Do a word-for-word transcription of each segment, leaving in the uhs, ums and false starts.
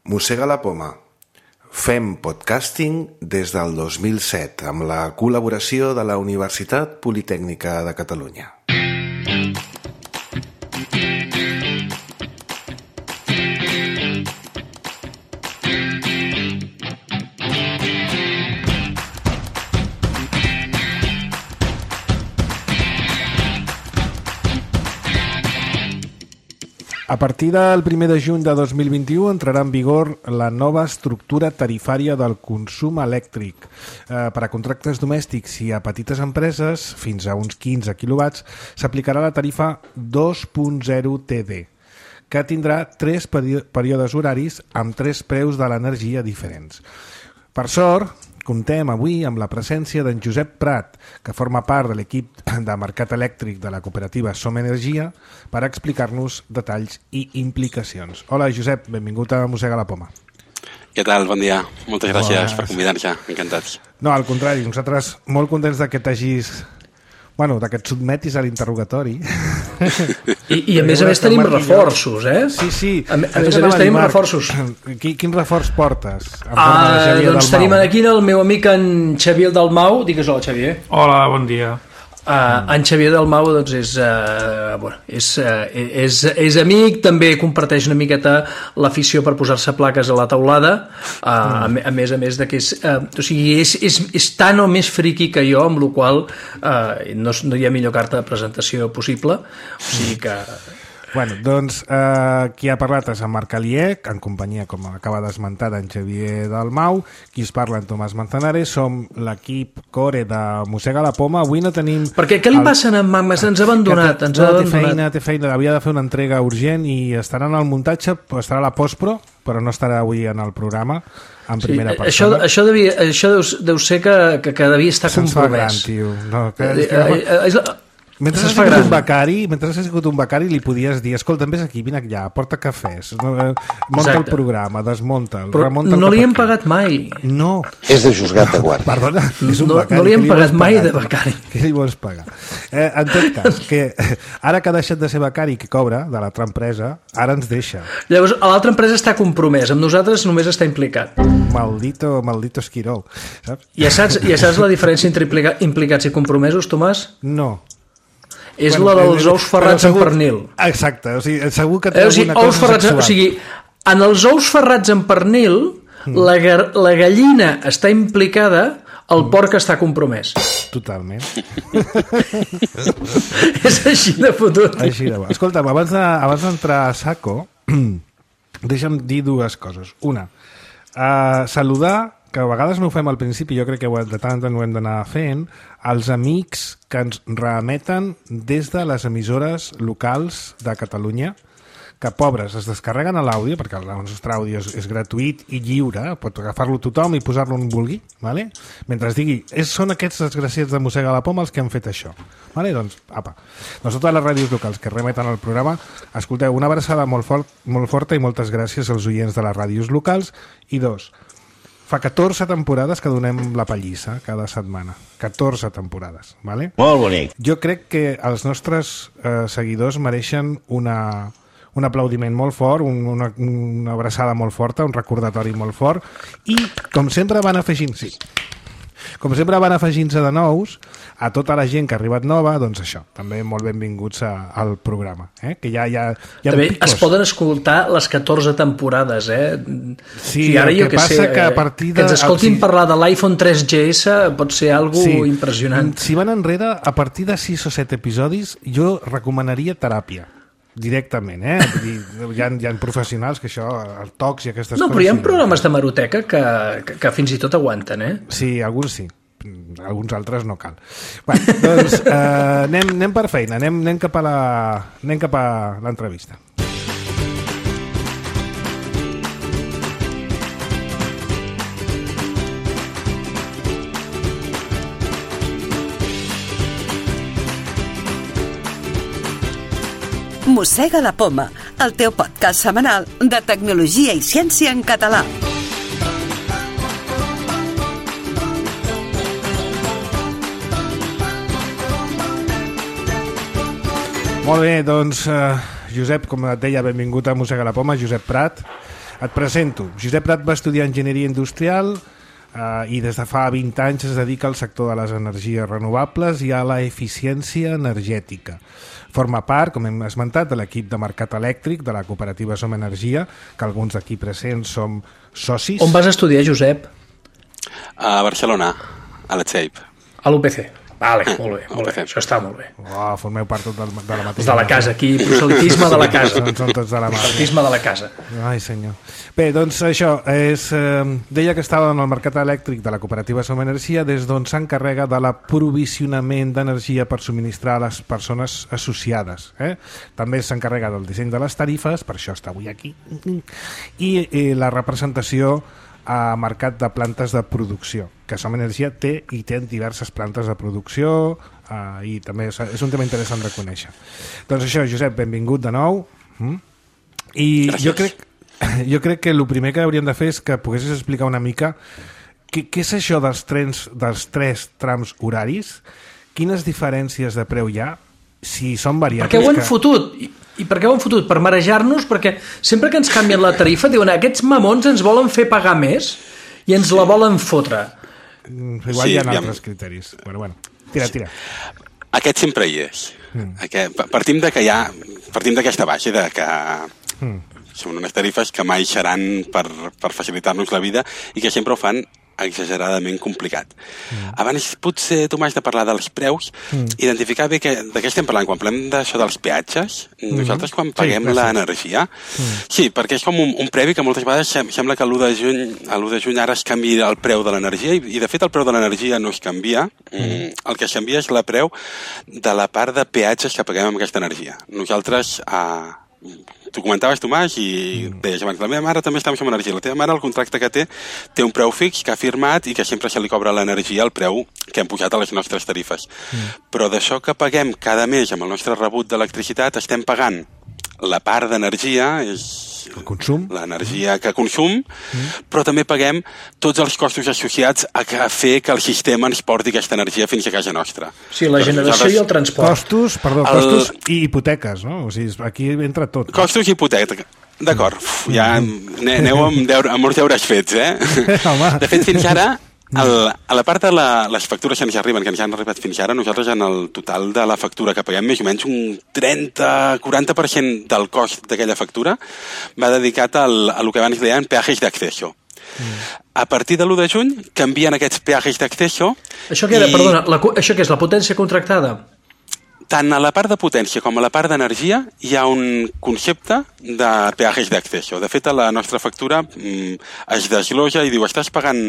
Mossega la poma. Fem podcasting des del dos mil set amb la col·laboració de la Universitat Politècnica de Catalunya. A partir del primer de juny de dos mil vint-i-u entrarà en vigor la nova estructura tarifària del consum elèctric. Eh, per a contractes domèstics i a petites empreses, fins a uns quinze quilowatts, s'aplicarà la tarifa dos punt zero T D, que tindrà tres períodes horaris amb tres preus de l'energia diferents. Per sort, comptem avui amb la presència d'en Josep Prat, que forma part de l'equip de mercat elèctric de la cooperativa Som Energia, per explicar-nos detalls i implicacions. Hola, Josep, benvingut a Mossega la Poma. Què tal? Bon dia. Moltes gràcies Bones. per convidar-nos. Encantats. No, al contrari, nosaltres molt contents de que t'hagis... Bueno, que et sotmetis a l'interrogatori. I, i a més a més tenim reforços, eh? Sí, sí. A, a més a més tenim reforços. Quin, quin reforç portes? Ah, doncs tenim aquí el meu amic en Xavier Dalmau. Digues hola, Xavier. Hola, bon dia. Uh, en Xavier Dalmau doncs, és, uh, bueno, és, uh, és, és amic, també comparteix una miqueta l'afició per posar-se plaques a la teulada, uh, mm. a, a més a més de que és, uh, o sigui, és, és, és tan o més friqui que jo, amb la qual uh, no, no hi ha millor carta de presentació possible, o sigui que... Bueno, doncs eh, qui ha parlat és en Marc Aliec, en companyia, com acaba d'esmentar, d'en Xavier Dalmau, qui es parla en Tomàs Manzanares, som l'equip core de Mossega la Poma. Avui no tenim... Perquè què li el... passa a en Magma? Ens ha abandonat, ens ha no, abandonat. Té feina, té feina, havia de fer una entrega urgent i estarà en el muntatge, estarà a la postpro, però no estarà avui en el programa en primera sí, persona. Això, això, devia, això deu, deu ser que, que, que devia estar Se'ns compromès. Se'ns fa gran, tio. No, que, eh, eh, eh, és la... Mentre has sigut un becari, mentre has sigut un becari li podies dir, escolta, vés aquí, vine allà, porta cafès, monta Exacte. el programa, desmunta'l, remunta el no li hem aquí. pagat mai. No. És de juzgat de guàrdia. Perdona, és un no, becari. No li hem pagat mai de becari. Què li vols pagar? Eh, en tot cas, que ara que ha deixat de ser becari que cobra de l'altra empresa, ara ens deixa. Llavors, l'altra empresa està compromès, amb nosaltres només està implicat. Maldito, maldito esquirol. Saps? Ja saps, ja saps la diferència entre implica, implicats i compromesos, Tomàs? No. És bueno, la dels ous ferrats segur, en pernil. Exacte, o sigui, segur que té eh, o sigui, alguna cosa ferrats, sexual. O sigui, en els ous ferrats en pernil, mm. la, la gallina està implicada, el mm. porc està compromès. Totalment. És així de fotut. Així de bo. Escolta'm, abans de, abans d'entrar a saco, deixa'm dir dues coses. Una, uh, saludar, que a vegades no ho fem al principi, jo crec que de tant en tant ho hem d'anar fent, els amics que ens reemeten des de les emissores locals de Catalunya, que pobres, es descarreguen a l'àudio, perquè el nostre àudio és, és gratuït i lliure, pot agafar-lo tothom i posar-lo on vulgui, ¿vale? Mentre es digui, és, són aquests desgraciats de Mossega la Poma els que han fet això. ¿Vale? Doncs, apa. Doncs totes les ràdios locals que remeten al programa, escolteu, una abraçada molt, fort, molt forta i moltes gràcies als oients de les ràdios locals. I dos, fa catorze temporades que donem la pallissa cada setmana. catorze temporades, ¿vale? Molt bonic. Jo crec que els nostres eh, seguidors mereixen una, un aplaudiment molt fort, un, una, una abraçada molt forta, un recordatori molt fort, i com sempre van afegint, sí, com sempre van afegint-se de nous a tota la gent que ha arribat nova, doncs això, també molt benvinguts a, al programa, eh? Que ja, ja, ja també es poden escoltar les catorze temporades, eh? Sí, I ara el jo que que passa sé, que a partir de... que ens escoltin sí. parlar de l'iPhone tres G S pot ser algo sí. impressionant. Si van enrere, a partir de sis o set episodis, jo recomanaria teràpia. Directament, eh? Vull dir, hi, ha, hi ha professionals que això, el tocs i aquestes no, coses... No, però hi ha sí, programes de maroteca que, que, que fins i tot aguanten, eh? Sí, alguns sí. Alguns altres no cal. Bé, doncs eh, anem, anem per feina, anem, anem cap a la, anem cap a l'entrevista. Mossega la Poma, el teu podcast setmanal de tecnologia i ciència en català. Molt bé, doncs, eh, Josep, com et deia, benvingut a Mossega la Poma, Josep Prat. Et presento. Josep Prat va estudiar Enginyeria Industrial Uh, i des de fa vint anys es dedica al sector de les energies renovables i a la eficiència energètica. Forma part, com hem esmentat, de l'equip de mercat elèctric de la cooperativa Som Energia, que alguns d'aquí presents som socis. On vas estudiar, Josep? A Barcelona, a la Txeip. A l'U P C. Vale, molt bé, molt bé. Això està molt bé. Oh, formeu part tot del, de la mateixa... De la casa, aquí, proselitisme de la casa. Són, són tots de la mà. Proselitisme de la casa. Ai, senyor. Bé, doncs això, és, eh, deia que estava en el mercat elèctric de la cooperativa Som Energia, des d'on s'encarrega de l'aprovisionament d'energia per subministrar a les persones associades. Eh? També s'encarrega del disseny de les tarifes, per això està avui aquí, i, i la representació a mercat de plantes de producció, que Som Energia té i té diverses plantes de producció, eh, i també és, és un tema interessant de conèixer. Doncs això, Josep, benvingut de nou. Mm? I Gràcies. jo crec, jo crec que el primer que hauríem de fer és que poguessis explicar una mica què, què és això dels trens, dels tres trams horaris, quines diferències de preu hi ha, si són variables... Perquè ho han que... fotut... I per què ho han fotut? Per marejar-nos? Perquè sempre que ens canvien la tarifa diuen aquests mamons ens volen fer pagar més i ens la volen fotre. Mm, igual Sí, hi ha aviam. altres criteris. Bueno, bueno, tira, tira. Aquest sempre hi és. Mm. Aquest, partim de que hi ha, partim d'aquesta base de que mm. són unes tarifes que mai seran per, per facilitar-nos la vida i que sempre ho fan exageradament complicat. Mm. Abans potser tu m'has de parlar dels preus, mm. identificar bé que, de què estem parlant. Quan parlem d'això dels peatges, mm. nosaltres quan paguem sí, l'energia, mm. sí, perquè és com un, un previ que moltes vegades sem sembla que a l'u de juny, a l'u de juny ara es canvi el preu de l'energia i, i de fet el preu de l'energia no es canvia, mm. el que es canvia és la preu de la part de peatges que paguem amb aquesta energia. Nosaltres... Eh, tu comentaves, Tomàs, i deies abans, la meva mare també està amb Som Energia. La teva mare, el contracte que té, té un preu fix que ha firmat i que sempre se li cobra l'energia al preu que hem pujat a les nostres tarifes. Mm. Però d'això que paguem cada mes amb el nostre rebut d'electricitat, estem pagant la part d'energia, és el consum, l'energia que consum, mm. però també paguem tots els costos associats a, que, a fer que el sistema ens porti aquesta energia fins a casa nostra. Sí, la generació i el transport. Costos, perdó, el... costos i hipoteques, no? O sigui, aquí entra tot. No? Costos i hipoteca. D'acord, mm. ja aneu amb, deure, amb molts deures fets, eh? De fet, fins ara, el, a la part de la, les factures que ens arriben, que ens han arribat fins ara, nosaltres en el total de la factura que paguem, més o menys un trenta a quaranta per cent del cost d'aquella factura va dedicat al, a lo que abans deien peajes d'acceso. Mm. A partir de l'u de juny canvien aquests peajes d'acceso. Això què era, i... perdona, la, això què és, la potència contractada? Tant a la part de potència com a la part d'energia hi ha un concepte de peajes d'acceso. De fet, a la nostra factura mm, es desglosa i diu estàs pagant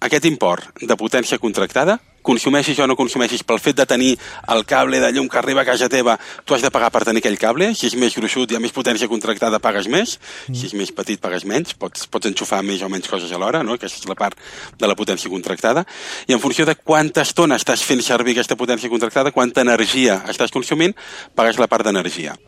aquest import de potència contractada, consumeixis o no consumeixis pel fet de tenir el cable de llum que arriba a casa teva, tu has de pagar per tenir aquell cable. Si és més gruixut i ha més potència contractada, pagues més. Mm. Si és més petit, pagues menys. Pots, pots enxufar més o menys coses alhora, no? Aquesta és la part de la potència contractada. I en funció de quanta estona estàs fent servir aquesta potència contractada, quanta energia estàs consumint, pagues la part d'energia.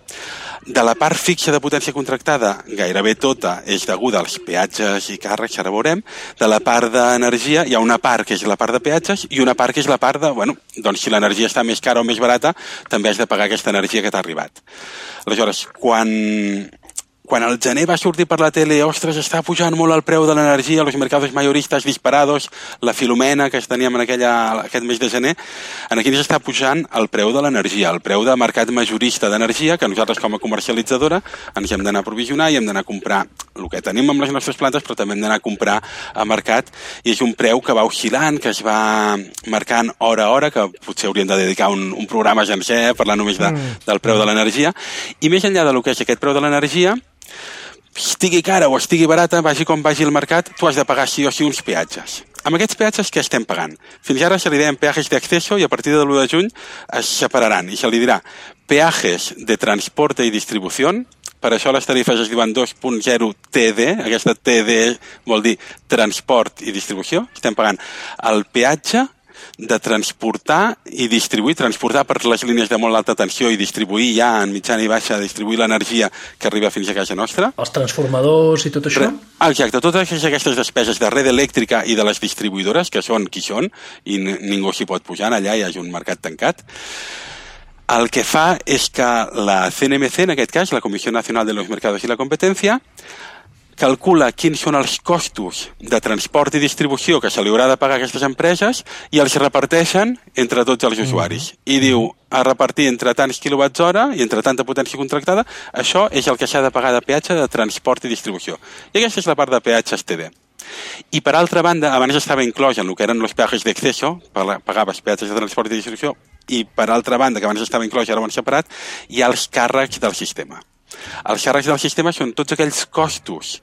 De la part fixa de potència contractada, gairebé tota és deguda als peatges i càrrecs, ara veurem. De la part d'energia hi ha una part que és la part de peatges i una part que és la part de, bueno, doncs si l'energia està més cara o més barata, també has de pagar aquesta energia que t'ha arribat. Aleshores, quan... Quan el gener va sortir per la tele, ostres, està pujant molt el preu de l'energia, los mercados mayoristas disparados, la Filomena que teníem en aquella, aquest mes de gener, aquí ens està pujant el preu de l'energia, el preu de mercat majorista d'energia, que nosaltres com a comercialitzadora ens hem d'anar a provisionar i hem d'anar a comprar el que tenim amb les nostres plantes, però també hem d'anar a comprar a mercat, i és un preu que va oscil·lant, que es va marcant hora a hora, que potser hauríem de dedicar un, un programa sencer, eh, parlar només de, del preu de l'energia, i més enllà del que és aquest preu de l'energia, estigui cara o estigui barata, vagi com vagi el mercat, tu has de pagar sí o sí uns peatges. Amb aquests peatges què estem pagant? Fins ara se li deien peajes d'acceso i a partir de l'u de juny es separaran i se li dirà peajes de transporte i distribució. Per això les tarifes es diuen dos punt zero T D, aquesta T D vol dir transport i distribució. Estem pagant el peatge de transportar i distribuir, transportar per les línies de molt alta tensió i distribuir ja en mitjana i baixa, distribuir l'energia que arriba fins a casa nostra. Els transformadors i tot això? Exacte, totes aquestes despeses de red elèctrica i de les distribuïdores, que són qui són, i ningú s'hi pot pujar, allà hi hagi un mercat tancat. El que fa és que la C N M C, en aquest cas, la Comissió Nacional de los Mercados i la Competència, calcula quins són els costos de transport i distribució que se li haurà de pagar a aquestes empreses i els reparteixen entre tots els usuaris. I diu, a repartir entre tants quilowatts hora i entre tanta potència contractada, això és el que s'ha de pagar de peatge de transport i distribució. I aquesta és la part de peatges T D. I per altra banda, abans estava inclòs en el que eren els peatges d'acceso, pagaves peatges de transport i distribució, i per altra banda, que abans estava inclòs i ara ho han separat, hi ha els càrrecs del sistema. Els càrrecs del sistema són tots aquells costos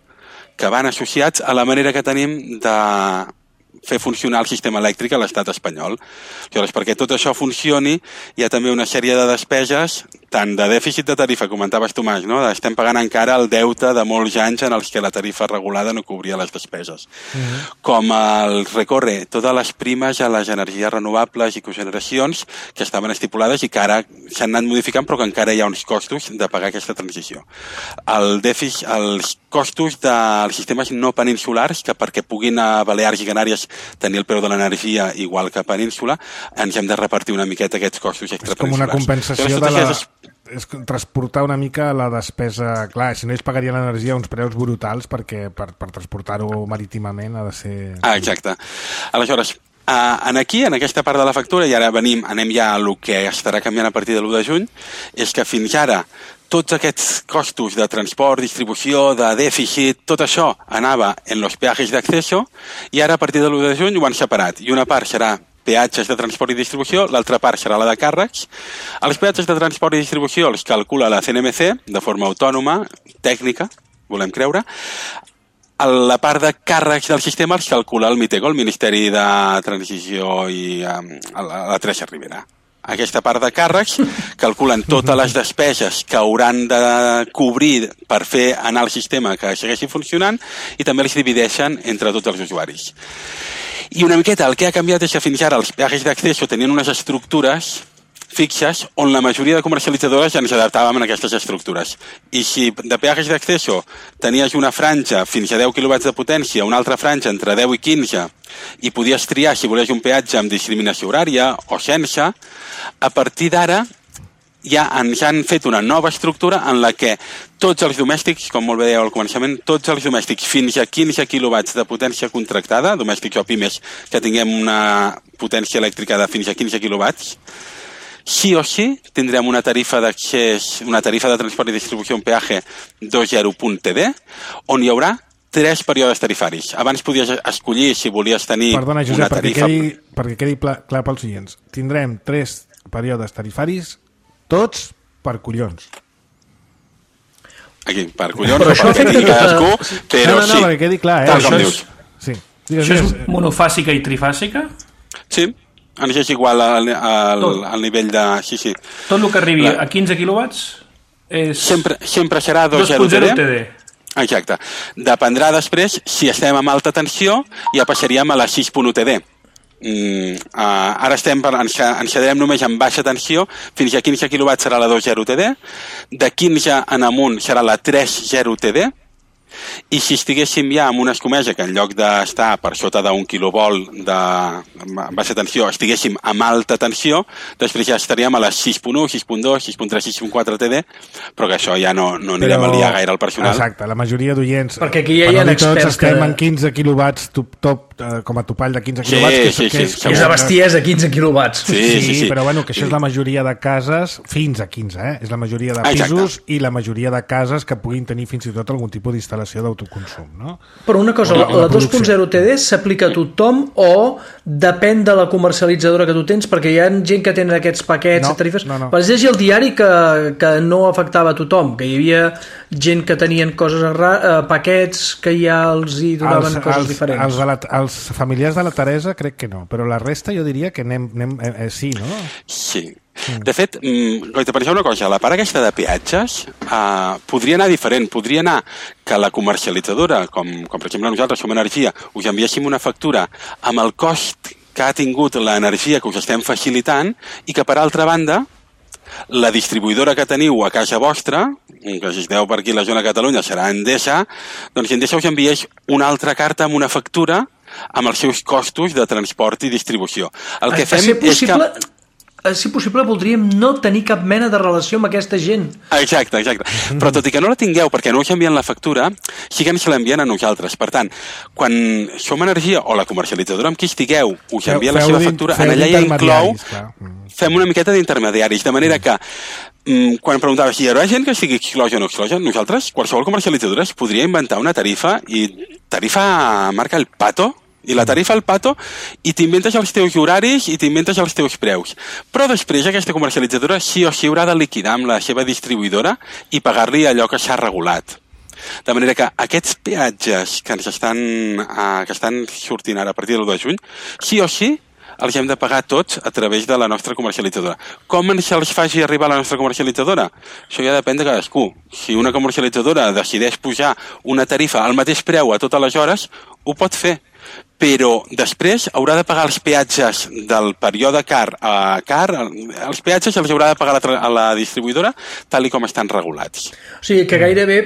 que van associats a la manera que tenim de fer funcionar el sistema elèctric a l'estat espanyol. Llavors, perquè tot això funcioni, hi ha també una sèrie de despeses, tant de dèficit de tarifa, comentaves Tomàs, no? Estem pagant encara el deute de molts anys en els que la tarifa regulada no cobria les despeses. Mm-hmm. Com el recorre totes les primes a les energies renovables i cogeneracions que estaven estipulades i que ara s'han anat modificant, però que encara hi ha uns costos de pagar aquesta transició. El dèficit, els costos dels sistemes no peninsulars, que perquè puguin a Balears i Canàries tenir el preu de l'energia igual que a Península, ens hem de repartir una miqueta aquests costos extrapeninsulars. És com una compensació de la... és transportar una mica la despesa... Clar, si no ells pagarien l'energia a uns preus brutals perquè per, per transportar-ho marítimament ha de ser... Ah, exacte. Aleshores, uh, en aquí, en aquesta part de la factura, i ara venim, anem ja a el que estarà canviant a partir de l'u de juny, és que fins ara tots aquests costos de transport, distribució, de dèficit, tot això anava en los peajes d'acceso i ara a partir de l'u de juny ho han separat. I una part serà peatges de transport i distribució, l'altra part serà la de càrrecs. Els peatges de transport i distribució els calcula la C N M C de forma autònoma, tècnica, volem creure. La part de càrrecs del sistema els calcula el MITECO, el Ministeri de Transició i um, la, la Teresa Rivera. Aquesta part de càrrecs calculen totes les despeses que hauran de cobrir per fer anar el sistema que segueixi funcionant i també els divideixen entre tots els usuaris. I una miqueta el que ha canviat és que fins ara els peatges d'acceso tenien unes estructures fixes on la majoria de comercialitzadores ja ens adaptàvem a aquestes estructures. I si de peatges d'acceso tenies una franja fins a deu quilowatts de potència, una altra franja entre deu i quinze, i podies triar si volies un peatge amb discriminació horària o sense, a partir d'ara ja ens han fet una nova estructura en la que tots els domèstics, com molt bé dèieu al començament, tots els domèstics fins a quinze quilowatts de potència contractada, domèstics o pimes que tinguem una potència elèctrica de fins a quinze quilowatts, sí o sí tindrem una tarifa d'accés, una tarifa de transport i distribució, un peatge dos zero punt T D, on hi haurà tres períodes tarifaris. Abans podies escollir si volies tenir Perdona, Josep, una tarifa... Perquè quedi, perquè quedi clar pels oients. Tindrem tres períodes tarifaris, tots per collons. Aquí, per collons, però o per que digui cadascú, però no, no, no, sí, perquè quedi clar, eh? tal com això dius. Sí. Digues, això és monofàsica i trifàsica? Sí, ens és igual al, al, al nivell de... Sí, sí. Tot el que arribi La... a quinze quilowatts és... Sempre, sempre serà dos zero T D. Exacte. Dependrà després, si estem amb alta tensió, ja passaríem a la sis punt u T D. Mm, uh, ara estem per, ens, ens quedarem només amb baixa tensió, fins a quinze quilowatts serà la dos zero T D, de quinze en amunt serà la tres zero T D, i si estiguéssim ja amb una escomesa que en lloc d'estar per sota d'un quilovolt de baixa tensió estiguéssim amb alta tensió, després ja estaríem a les sis punt u, sis punt dos, sis punt tres, sis punt quatre T D, però que això ja no, no anirem Però... a liar gaire al personal. Exacte, la majoria d'oients, perquè aquí ja hi ha tots experts estem que... en quinze quilowatts top, top, eh, com a topall de quinze Sí, quilowatts, que, sí, que, sí, és, sí, És de bestiesa, quinze quilowatts. Sí, sí, sí, sí. però bueno, que això és la majoria de cases fins a quinze, eh? És la majoria de Exacte. pisos i la majoria de cases que puguin tenir fins i tot algun tipus d'instal·lació d'autoconsum, no? Però una cosa, O la, la- la la dos punt zero T D s'aplica a tothom o depèn de la comercialitzadora que tu tens? Perquè hi ha gent que tenen aquests paquets No, de tarifes. no, no. Vaig llegir al diari que, que no afectava a tothom, que hi havia gent que tenien coses ra- eh, paquets que ja els hi donaven els, coses els, diferents. Els, de la, els familiars de la Teresa crec que no, però la resta jo diria que anem, anem eh, eh, sí, no? Sí. De fet, mm, Goita, penseu una cosa, la part aquesta de peatges eh, podria anar diferent, podria anar que la comercialitzadora, com, com per exemple nosaltres som Energia, us enviéssim una factura amb el cost que ha tingut l'energia que us estem facilitant i que per altra banda la distribuïdora que teniu a casa vostra, que si esteu per aquí a la zona de Catalunya serà Endesa, doncs Endesa us enviés una altra carta amb una factura amb els seus costos de transport i distribució. El que A- a fem ser és possible... que... si possible, voldríem no tenir cap mena de relació amb aquesta gent. Exacte, exacte. Però tot i que no la tingueu, perquè no us envien la factura, sí que ens l'envien a nosaltres. Per tant, quan Som Energia o la comercialitzadora amb qui estigueu us envia la seva factura, en allà ja inclou... Fem una miqueta d'intermediaris, de manera que quan preguntava si hi haurà gent que estigui exclosa o no exclosa, nosaltres, qualsevol comercialitzadora es podria inventar una tarifa, i tarifa marca el Pato, i la tarifa al Pato, i t'inventes els teus horaris i t'inventes els teus preus. Però després aquesta comercialitzadora sí o sí haurà de liquidar amb la seva distribuïdora i pagar-li allò que s'ha regulat. De manera que aquests peatges que ens estan, uh, que estan sortint ara a partir del dos de juny, sí o sí els hem de pagar tots a través de la nostra comercialitzadora. Com ens els faci arribar a la nostra comercialitzadora? Això ja depèn de cadascú. Si una comercialitzadora decideix pujar una tarifa al mateix preu a totes les hores, ho pot fer. Però després haurà de pagar els peatges del període car a car, els peatges els haurà de pagar a la distribuïdora tal i com estan regulats. O sigui que gairebé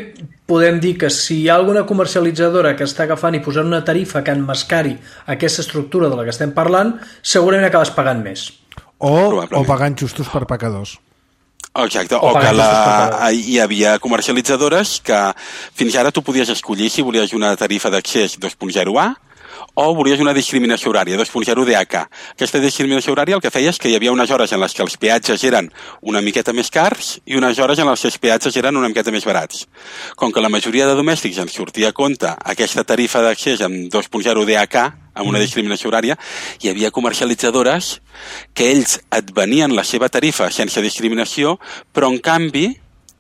podem dir que si hi ha alguna comercialitzadora que està agafant i posant una tarifa que enmascari aquesta estructura de la que estem parlant, segurament acabes pagant més. O, o pagant justos per pecadors. Exacte, o, o que la, hi havia comercialitzadores que fins ara tu podies escollir si volies una tarifa d'accés dos punt zero A o volies una discriminació horària, dos punt zero D H. Aquesta discriminació horària el que feia és que hi havia unes hores en les que els peatges eren una miqueta més cars i unes hores en les que els peatges eren una miqueta més barats. Com que la majoria de domèstics ens sortia a compte aquesta tarifa d'accés amb dos punt zero D H, amb una discriminació horària, hi havia comercialitzadores que ells et venien la seva tarifa sense discriminació, però en canvi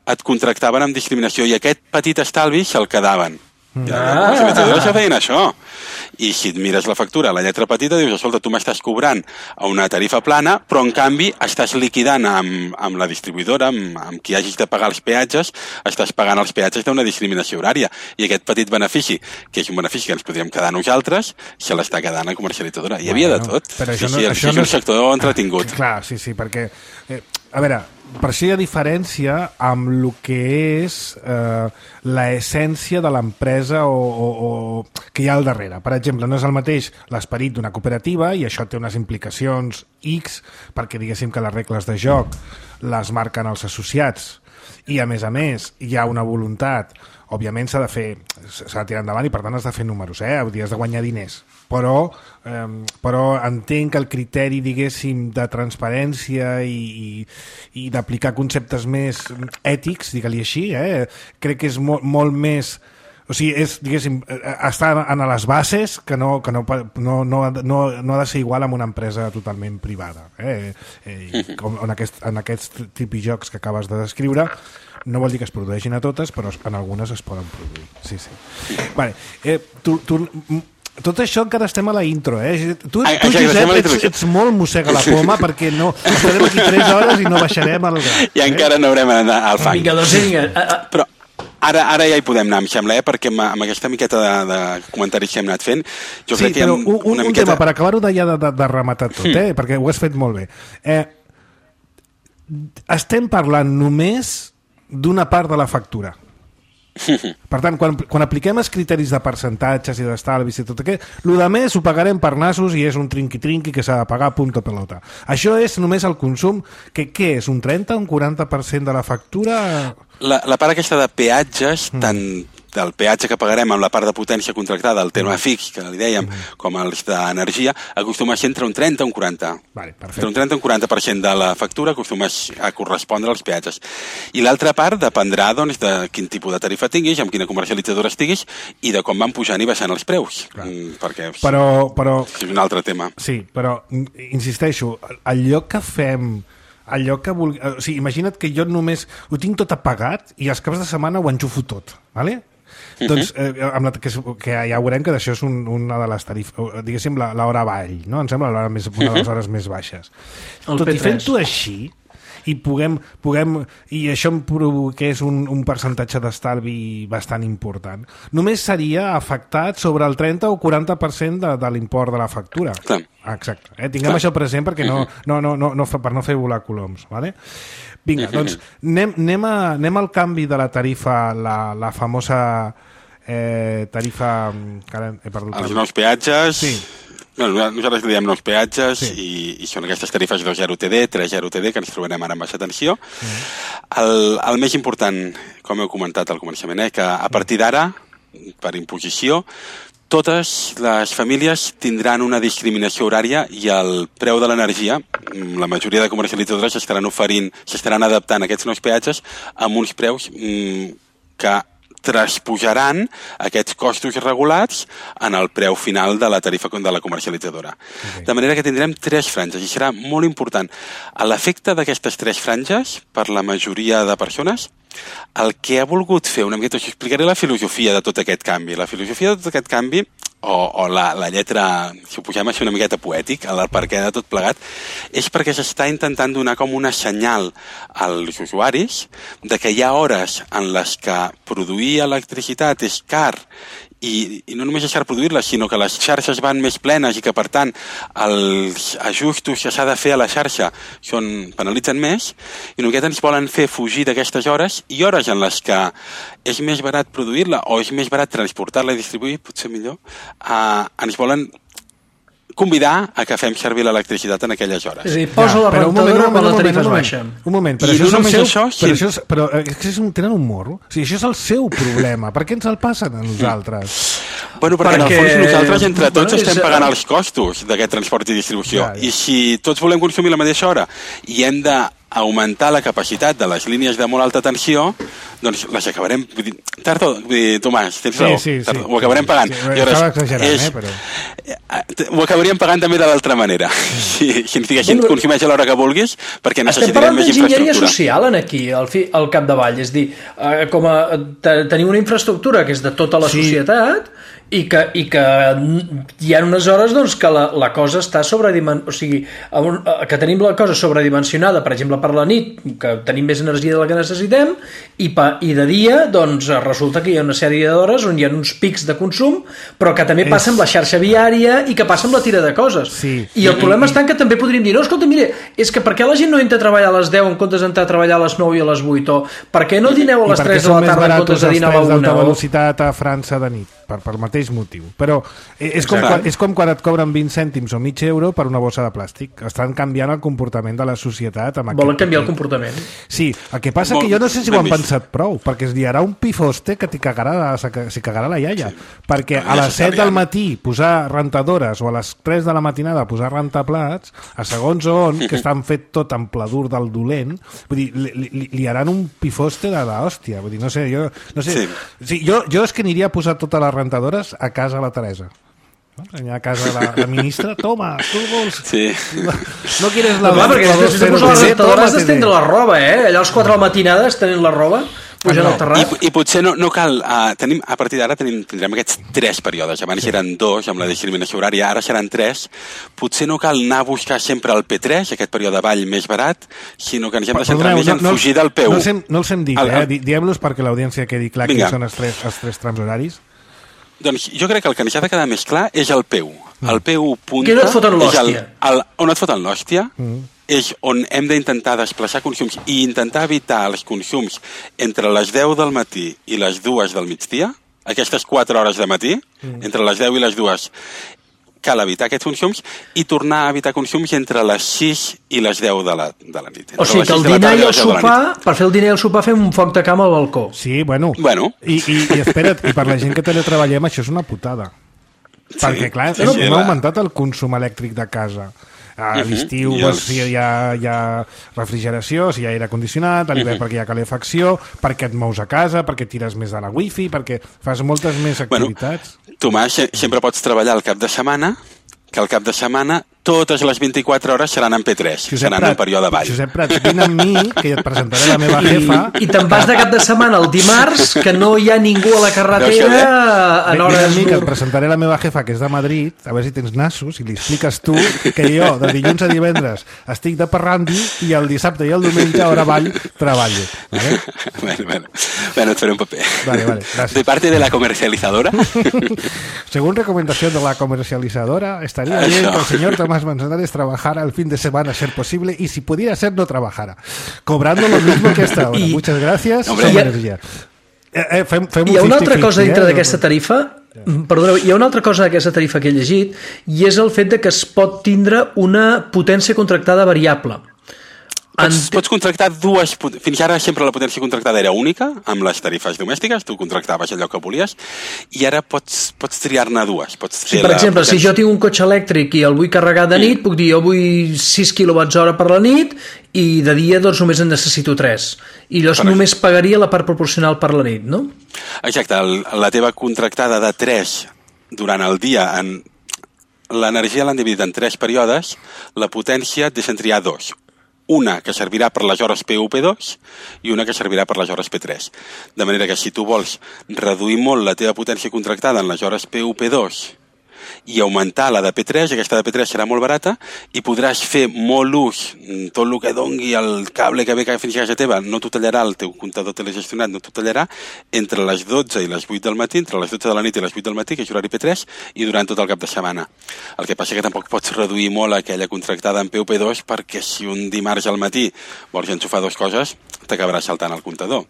et contractaven amb discriminació i aquest petit estalvi se'l quedaven. Ah. Les comercialitzadores ja feien això. I si et mires la factura, la lletra petita, dius, escolta, tu m'estàs cobrant a una tarifa plana, però en canvi estàs liquidant amb, amb la distribuïdora, amb, amb qui hagis de pagar els peatges, estàs pagant els peatges d'una discriminació horària. I aquest petit benefici, que és un benefici que ens podríem quedar nosaltres, se l'està quedant la comercialitzadora. Hi havia bueno, de tot. Però sí, això no, sí, això és no un sector entretingut. Clar, sí, sí, perquè... Eh, a veure, per això hi ha diferència amb el que és eh, l'essència de l'empresa o, o, o que hi ha al darrere. Per exemple, no és el mateix l'esperit d'una cooperativa i això té unes implicacions X perquè diguéssim que les regles de joc les marquen els associats i a més a més hi ha una voluntat, òbviament s'ha de fer, s'ha de tirar endavant i per tant has de fer números, eh? Has de guanyar diners, però, eh, però entenc que el criteri, diguéssim, de transparència i, i, i d'aplicar conceptes més ètics, digue-li així, eh? Crec que és molt, molt més... O sigui, és, diguéssim, està en les bases que no, que no, no, no, no, no ha de ser igual amb una empresa totalment privada. Eh? Eh, com en, aquest, en aquests tipus jocs que acabes de descriure, no vol dir que es produeixin a totes, però en algunes es poden produir. Sí, sí. Vale. Eh, tu, tu, tot això encara estem a la intro, eh? Tu, tu Josep, ets, ets molt mossega la poma perquè no, estarem aquí tres hores i no baixarem al gat. I eh? encara no haurem anat al fang. Vinga, doncs vinga. Però Ara, ara ja hi podem anar, em sembla, eh? Perquè amb, amb aquesta miqueta de, de comentaris que hem anat fent, jo sí, crec que hi ha un, un, una un miqueta... tema, per acabar-ho de, de, de, de rematar tot, mm. eh? Perquè ho has fet molt bé. Eh, estem parlant només d'una part de la factura. Per tant, quan, quan apliquem els criteris de percentatges i d'estalvis i tot aquest, el de més ho pagarem per nassos i és un trinqui-trinqui que s'ha de pagar punto pelota. Això és només el consum, que què és, un trenta o un quaranta per cent de la factura? La, la part aquesta de peatges, mm. tant del peatge que pagarem amb la part de potència contractada, el tema fix, que li dèiem, mm. com els d'energia, acostuma a ser entre un trenta i un quaranta. Vale, entre un trenta i un quaranta per cent de la factura acostuma a correspondre als peatges. I l'altra part dependrà doncs, de quin tipus de tarifa tinguis, amb quina comercialitzadora estiguis i de com van pujant i baixant els preus. Mm, perquè però, però, és un altre tema. Sí, però insisteixo, allò que fem... allò que vulgui... O sigui, imagina't que jo només ho tinc tot apagat i els caps de setmana ho enxufo tot, ¿vale? Uh-huh. Doncs eh, amb la, que, que ja veurem que d'això és un, una de les tarifes, diguéssim l'hora avall, no? Em sembla l'hora més, una de les hores més baixes. El tot i fent-ho així i puguem, puguem i això em provoqués un, un percentatge d'estalvi bastant important, només seria afectat sobre el trenta o quaranta per cent de, de l'import de la factura. Clar. Exacte. Eh? Tinguem Clar. això present perquè no, no, no, no, no, per no fer volar coloms, ¿vale? Vinga, doncs anem, anem, a, anem al canvi de la tarifa, la, la famosa eh, tarifa... Que ara he perdut els nous peatges... Sí. Bueno, nosaltres li diem nous peatges Sí. i, i són aquestes tarifes dos zero T D, tres zero T D, que ens trobarem ara amb baixa tensió. Mm. El, el més important, com heu comentat al començament, eh, que a partir d'ara, per imposició, totes les famílies tindran una discriminació horària i el preu de l'energia, la majoria de comercialitzadores s'estaran oferint, s'estaran adaptant a aquests nous peatges amb uns preus mm, que transposaran aquests costos regulats en el preu final de la tarifa de la comercialitzadora. Okay. De manera que tindrem tres franges i serà molt important. A l'efecte d'aquestes tres franges, per la majoria de persones, el que ha volgut fer una miqueta, us explicaré la filosofia de tot aquest canvi. La filosofia de tot aquest canvi, o, o la, la lletra, si ho posem així una miqueta poètic, el perquè de tot plegat, és perquè s'està intentant donar com una senyal als usuaris de que hi ha hores en les que produir electricitat és car i, i no només és car produir-la, sinó que les xarxes van més plenes i que, per tant, els ajustos que s'ha de fer a la xarxa són, penalitzen més, i una miqueta ens volen fer fugir d'aquestes hores i hores en les que és més barat produir-la o és més barat transportar-la i distribuir, potser millor, eh, ens volen convidar a que fem servir l'electricitat en aquelles hores. És a dir, posa Ja, la però un moment, rentadora un quan la moment, tarifa un es moment, baixa. Un moment, però I això no és el només seu... això, però, si- això és, però eh, és que és un, tenen un morro. O sigui, això és el seu problema. Per què ens el passen a nosaltres? Bueno, perquè, Perquè- en el fons nosaltres entre tots bueno, és- estem pagant els costos d'aquest transport i distribució. Ja, ja. I si tots volem consumir la mateixa hora i hem d'augmentar la capacitat de les línies de molt alta tensió, doncs les acabarem... Vull dir, tard o... Vull dir, Tomàs, tens Sí, raó. sí, sí. Tard, ho acabarem pagant. Sí, I aleshores, estava exagerant, eh, però- eh, Ho acabaríem pagant també de l'altra manera. Si, si ens diguessin, Bueno, consumeix a l'hora que vulguis, perquè Estem necessitarem parlant més d'enginyeria infraestructura. social en aquí, al, fi, al capdavall. És dir, eh, com a, te, tenim una infraestructura que és de tota la Sí. societat i que, i que hi ha unes hores doncs, que la, la cosa està sobredimensionada, o sigui, a un, a, que tenim la cosa sobredimensionada, per exemple, per la nit, que tenim més energia de la que necessitem, i, pa, i de dia, doncs, resulta que hi ha una sèrie d'hores on hi ha uns pics de consum, però que també passa amb la xarxa viària i que passa amb la tira de coses. Sí. I el problema està en que també podríem dir, no, escolta, mire, és que per què la gent no entra a treballar a les deu en comptes d'entrar a treballar a les nou i a les vuit? O per què no dineu a I les per què tres de són la més tarda en baratos comptes de els dinar a la trens una? d'alta O... velocitat a França de nit? Per, per mateix motiu. Però és com, Exacte. quan, és com quan et cobren vint cèntims o mig euro per una bossa de plàstic. Estan canviant el comportament de la societat. Amb Volen aquest canviar el petit. comportament. Sí, el que passa Molt que jo no sé si ho han ben vist. pensat prou, perquè es liarà un pifoste que t'hi cagarà, s'hi cagarà la iaia. Sí. Perquè No, a les set del necessàriament. matí posar rentadores o a les tres de la matinada posar rentaplats, a segons on, que estan fet tot en pladur del dolent, vull dir, li, li, liaran un pifoste de l'hòstia. Vull dir, no sé, jo... No sé, Sí. sí, jo, jo és que aniria a posar totes les rentadores a casa la Teresa. No? Allà a casa la, la ministra, toma, tu vols... Sí. No, no quieres la... Home, perquè la després de dos posar la cero T D, rentadora has tómate d'estendre de- la roba, eh? Allà a les quatre de la matinada estenent la roba, pujant Ah, no. al terrat. I, I potser no, no cal... Uh, tenim, a partir d'ara tenim, tindrem aquests tres períodes. Abans sí. eren dos, amb la discriminació horària, ara seran tres. Potser no cal anar a buscar sempre el P tres, aquest període avall més barat, sinó que ens hem de centrar Perdoneu, més en fugir del P u. No els hem, no els hem dit, El- eh? el- Di- Diem-los perquè l'audiència quedi clar Vinga. quins són els tres, els tres trams horaris. Doncs jo crec que el que ens ha de quedar més clar és el P u. El P u punta... Que no et foten és el, l'hòstia. el, on et foten l'hòstia és on hem d'intentar desplaçar consums i intentar evitar els consums entre les deu del matí i les dues del migdia, aquestes quatre hores de matí, entre les deu i les dues, cal evitar aquests consums i tornar a evitar consums entre les sis i les deu de la, de la nit. O Entre sigui les que el sis de la dinar tarda i el les deu de la nit. sopar, per fer el dinar i el sopar fem un foc de cama al balcó. Sí, bueno. Bueno. I, i, i espera't, i per la gent que teletreballem això és una putada. Sí, perquè, clar, sí, hem, sí, hem la- augmentat el consum elèctric de casa. A Mhm, l'estiu i doncs, els- si hi ha, hi ha refrigeració, si hi ha aire condicionat, a l'hivern perquè hi ha calefacció, perquè et mous a casa, perquè tires més de la wifi, perquè fas moltes més Bueno, activitats. Tomàs, se- sempre pots treballar al cap de setmana, que al cap de setmana totes les vint-i-quatre hores seran en P tres, seran en període avall. Josep Prat, vine amb mi, que et presentaré la meva jefa. I, I te'n vas de cap de setmana el dimarts, que no hi ha ningú a la Veus carretera que en Vine hores... amb mi, que et presentaré la meva jefa, que és de Madrid, a veure si tens nassos, i li expliques tu que jo, de dilluns a divendres, estic de parrandi i el dissabte i el diumenge, a hora avall, treballo. Vale? Bueno, bueno, bueno, et faré un paper. Vale, vale, gracias. De parte de la comercializadora. Según recomendación de la comercializadora, estaría Eso. bien que el señor Tomás Manzanares trabajara el fin de semana a ser posible y si pudiera ser no trabajara, cobrando lo mismo que hasta ahora. I- Muchas gracias. Hombre, Som i- energia. Eh, eh, fem, fem Hi ha un una altra cincuenta cosa dintre cincuenta, eh? d'aquesta tarifa Perdoneu, hi ha una altra cosa d'aquesta tarifa que he llegit i és el fet de que es pot tindre una potència contractada variable. Pots, pots contractar dues... Fins ara sempre la potència contractada era única, amb les tarifes domèstiques, tu contractaves allò que volies, i ara pots, pots triar-ne dues. Pots sí, per exemple, potència... si jo tinc un cotxe elèctric i el vull carregar de nit, mm. puc dir, jo vull sis quilowatts hora per la nit i de dia doncs només en necessito tres. I llavors per només pagaria la part proporcional per la nit, no? Exacte, el, la teva contractada de tres durant el dia, en l'energia l'han dividit en tres períodes, la potència et deixen triar dos. Una que servirà per les hores P u P dos i una que servirà per les hores P tres. De manera que si tu vols reduir molt la teva potència contractada en les hores P u P dos i augmentar la de P tres, aquesta de P tres serà molt barata i podràs fer molt ús, tot el que dongui el cable que ve que fins a casa teva, no t'ho tallarà, el teu comptador telegestionat no t'ho tallarà, entre les dotze i les vuit del matí, entre les dotze de la nit i les vuit del matí, que és horari P tres, i durant tot el cap de setmana. El que passa és que tampoc pots reduir molt aquella contractada en P u P dos perquè si un dimarts al matí vols enxufar dues coses, t'acabarà saltant el comptador.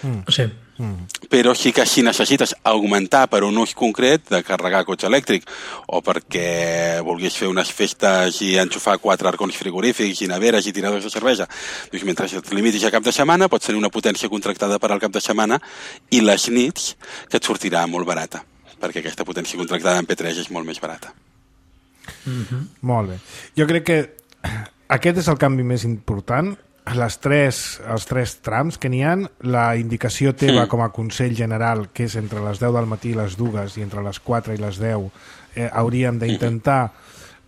Mm. Sí. Mm. Però sí que si necessites augmentar per un ús concret de carregar cotxe elèctric o perquè vulguis fer unes festes i enxufar quatre arcons frigorífics i neveres i tiradors de cervesa, doncs mentre et limitis a cap de setmana pots tenir una potència contractada per al cap de setmana i les nits que et sortirà molt barata, perquè aquesta potència contractada en P tres és molt més barata. Mm-hmm. Molt bé. Jo crec que aquest és el canvi més important. Les tres, els tres trams que n'hi ha, la indicació teva mm. com a Consell General, que és entre les deu del matí i les dues i entre les quatre i les deu, eh, hauríem d'intentar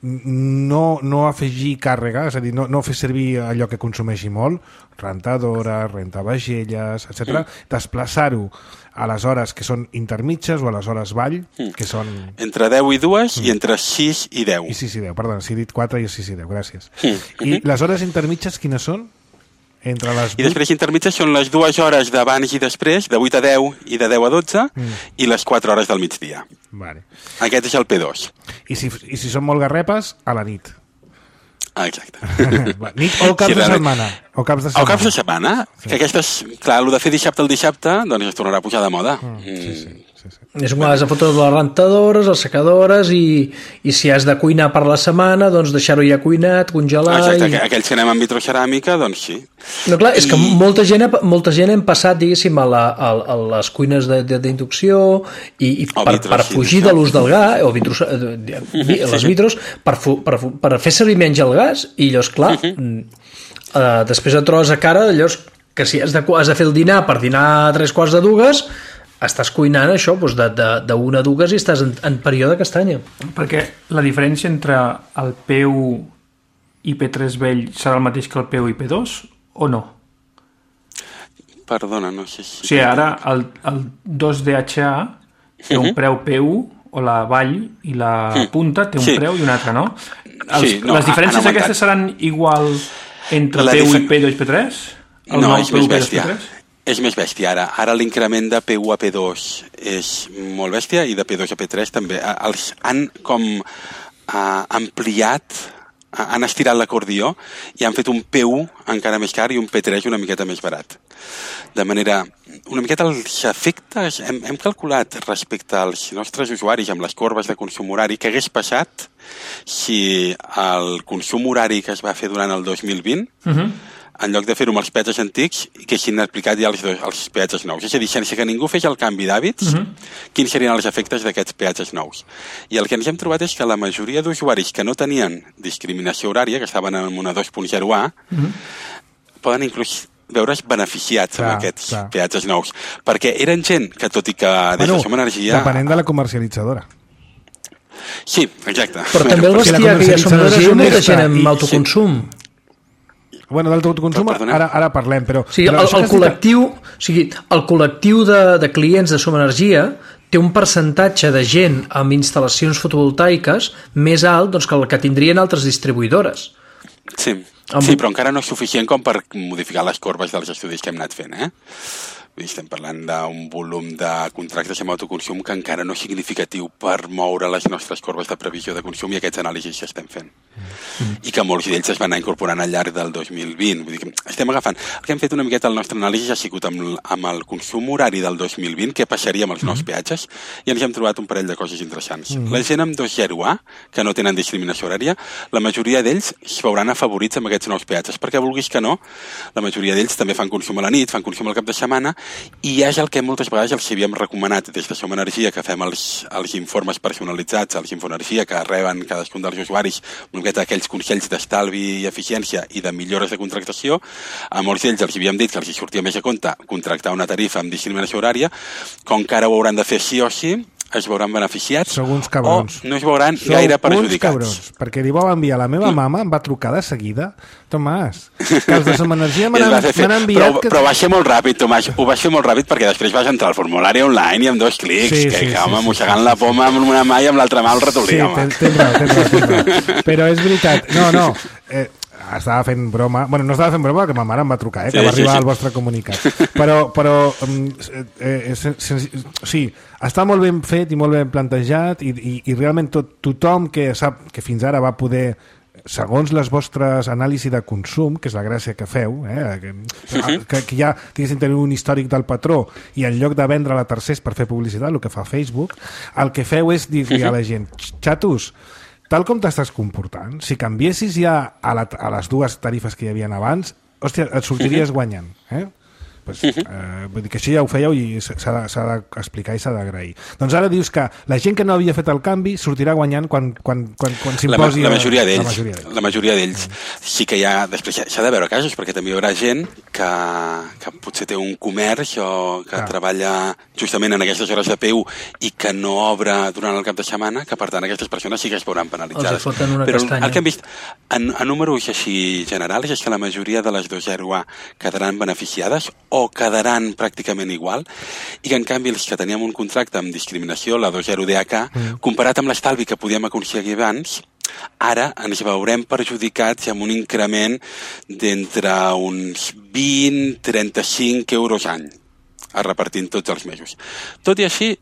no, no afegir càrrega, és a dir, no, no fer servir allò que consumeixi molt, rentadora, rentavagelles, etcètera, mm. desplaçar-ho a les hores que són intermitges o a les hores vall, mm. que són... Entre deu i dues mm. i entre sis i deu. I sis i deu, perdona, si he dit quatre i sis i deu, gràcies. Mm. I les hores intermitges quines són? Entre les I després intermitges són les dues hores d'abans i després, de vuit a deu i de deu a dotze, mm. i les quatre hores del migdia. Vale. Aquest és el P dos. I si, i si són molt garrepes, a la nit. Ah, exacte. Nit o caps sí, de setmana. O caps de setmana. O caps de setmana. Sí. Que aquestes, clar, el de fer dissabte al dissabte, doncs es tornarà a pujar de moda. Mm. Sí, sí. Sí, sí. És quan has de fotre les rentadores, les secadores i, i si has de cuinar per la setmana, doncs deixar-ho ja cuinat, congelar... Exacte, i... aquells que anem amb vitroceràmica, doncs sí. No, clar, I... és que molta gent, molta gent hem passat, diguéssim, a, la, a, a les cuines d'inducció i, i per, per fugir de l'ús del gas, o vitros, les vitros, per, per, per fer servir menys el gas, i llavors, clar, uh-huh. uh, després et trobes a cara, llavors, que si has de, has de fer el dinar per dinar a tres quarts de dues, estàs cuinant això doncs de, de, de una a dues i estàs en, en període castanya. Perquè la diferència entre el P u i P tres vell serà el mateix que el P u i P dos o no? Perdona, no sé si... O sigui, ara el, el dos D H A té uh-huh. un preu P u o la vall i la punta té un sí. preu i un altre, no? Els, sí, no les diferències han aquestes seran igual entre la P u difer... i P dos i P tres? El no, és més bèstia. És més bèstia ara. Ara l'increment de P u a P dos és molt bèstia i de P dos a P tres també. Els han com uh, ampliat, uh, han estirat l'acordió i han fet un P u encara més car i un P tres una miqueta més barat. De manera, una miqueta els efectes, hem, hem calculat respecte als nostres usuaris amb les corbes de consum horari què hagués passat si el consum horari que es va fer durant el dos mil vint uh-huh. en lloc de fer-ho amb els peatges antics, que hagin aplicat ja els, els peatges nous. És a dir, sense que ningú fes el canvi d'hàbits, uh-huh. quins serien els efectes d'aquests peatges nous. I el que ens hem trobat és que la majoria d'usuaris que no tenien discriminació horària, que estaven en una dos punt zero A, uh-huh. poden inclús veure's beneficiats clar, amb aquests clar. peatges nous. Perquè eren gent que, tot i que des bueno, de Som Energia... Depenent de la comercialitzadora. Sí, exacte. Però també el bestiar que ja Som Energia molta gent amb autoconsum. Sí. Bueno, d'autoconsum ara, ara parlem, però... O sigui, però el, el, col·lectiu, o sigui, el col·lectiu de, de clients de Som Energia té un percentatge de gent amb instal·lacions fotovoltaiques més alt doncs, que el que tindrien altres distribuïdores. Sí, amb... sí, però encara no és suficient com per modificar les corbes dels estudis que hem anat fent, eh? Estem parlant d'un volum de contractes amb autoconsum que encara no és significatiu per moure les nostres corbes de previsió de consum i aquests anàlisis que estem fent. Mm. I que molts d'ells es van anar incorporant al llarg del dos mil vint. Vull dir que estem agafant... El que hem fet una miqueta el nostre anàlisi ha sigut amb, amb el consum horari del dos mil vint, què passaria amb els nous peatges, i ens hem trobat un parell de coses interessants. Mm. La gent amb dos zero A, que no tenen discriminació horària, la majoria d'ells es veuran afavorits amb aquests nous peatges, perquè vulguis que no, la majoria d'ells també fan consum a la nit, fan consum al cap de setmana, i és el que moltes vegades els havíem recomanat des de Som Energia, que fem els, els informes personalitzats, els Infoenergia, que reben cadascun dels usuaris una miqueta aquells consells d'estalvi i eficiència i de millores de contractació. A molts d'ells els havíem dit que els sortia més a compte contractar una tarifa amb discriminació horària, com que ara ho hauran de fer sí o sí, es veuran beneficiats Sou uns cabrons. o no es veuran Sou gaire uns perjudicats. Cabrons, perquè li vau enviar la meva mama, em va trucar de seguida, Tomàs, que els de Som Energia m'han enviat... Però, que... però va ser molt ràpid, Tomàs, ho va ser molt ràpid perquè després vas entrar al formulari online i amb dos clics, sí, que, sí, que home, sí, mossegant sí, la poma amb una mà i amb l'altra mà el ratolí, sí, home. Sí, tens raó, tens raó, tens raó. Però és veritat, no, no, eh, estava fent broma, bueno, no estava fent broma que ma mare em va trucar, eh, que sí, va arribar sí, sí. al vostre comunicat, però, però eh, eh, sí, està molt ben fet i molt ben plantejat i, i, i realment tot, tothom que sap que fins ara va poder, segons les vostres anàlisis de consum, que és la gràcia que feu, eh, que, que, que ja diguéssim tenir un històric del patró i en lloc de vendre a tercers per fer publicitat, el que fa Facebook, el que feu és dir-li a la gent, xatos, tal com t'estàs comportant, si canviessis ja a, la, a les dues tarifes que hi havia abans, hòstia, et sortiries guanyant, eh? Pues, eh, vull dir que això ja ho fèieu i s'ha d'explicar i s'ha d'agrair. Doncs ara dius que la gent que no havia fet el canvi sortirà guanyant quan, quan, quan, quan s'imposi... La, la majoria d'ells. La majoria d'ells. Sí que hi ha... Després s'ha de veure casos, perquè també hi haurà gent que, que potser té un comerç o que ah. treballa justament en aquestes hores de P U i que no obre durant el cap de setmana, que per tant aquestes persones sí que es veuran penalitzades. Els foten una Però castanya. el que hem vist en, en números així generals és que la majoria de les dos zero A quedaran beneficiades o quedaran pràcticament igual, i que en canvi els que teníem un contracte amb discriminació, la dos zero D H, mm. comparat amb l'estalvi que podíem aconseguir abans, ara ens veurem perjudicats amb un increment d'entre uns vint a trenta-cinc euros any, a repartir tots els mesos. Tot i així,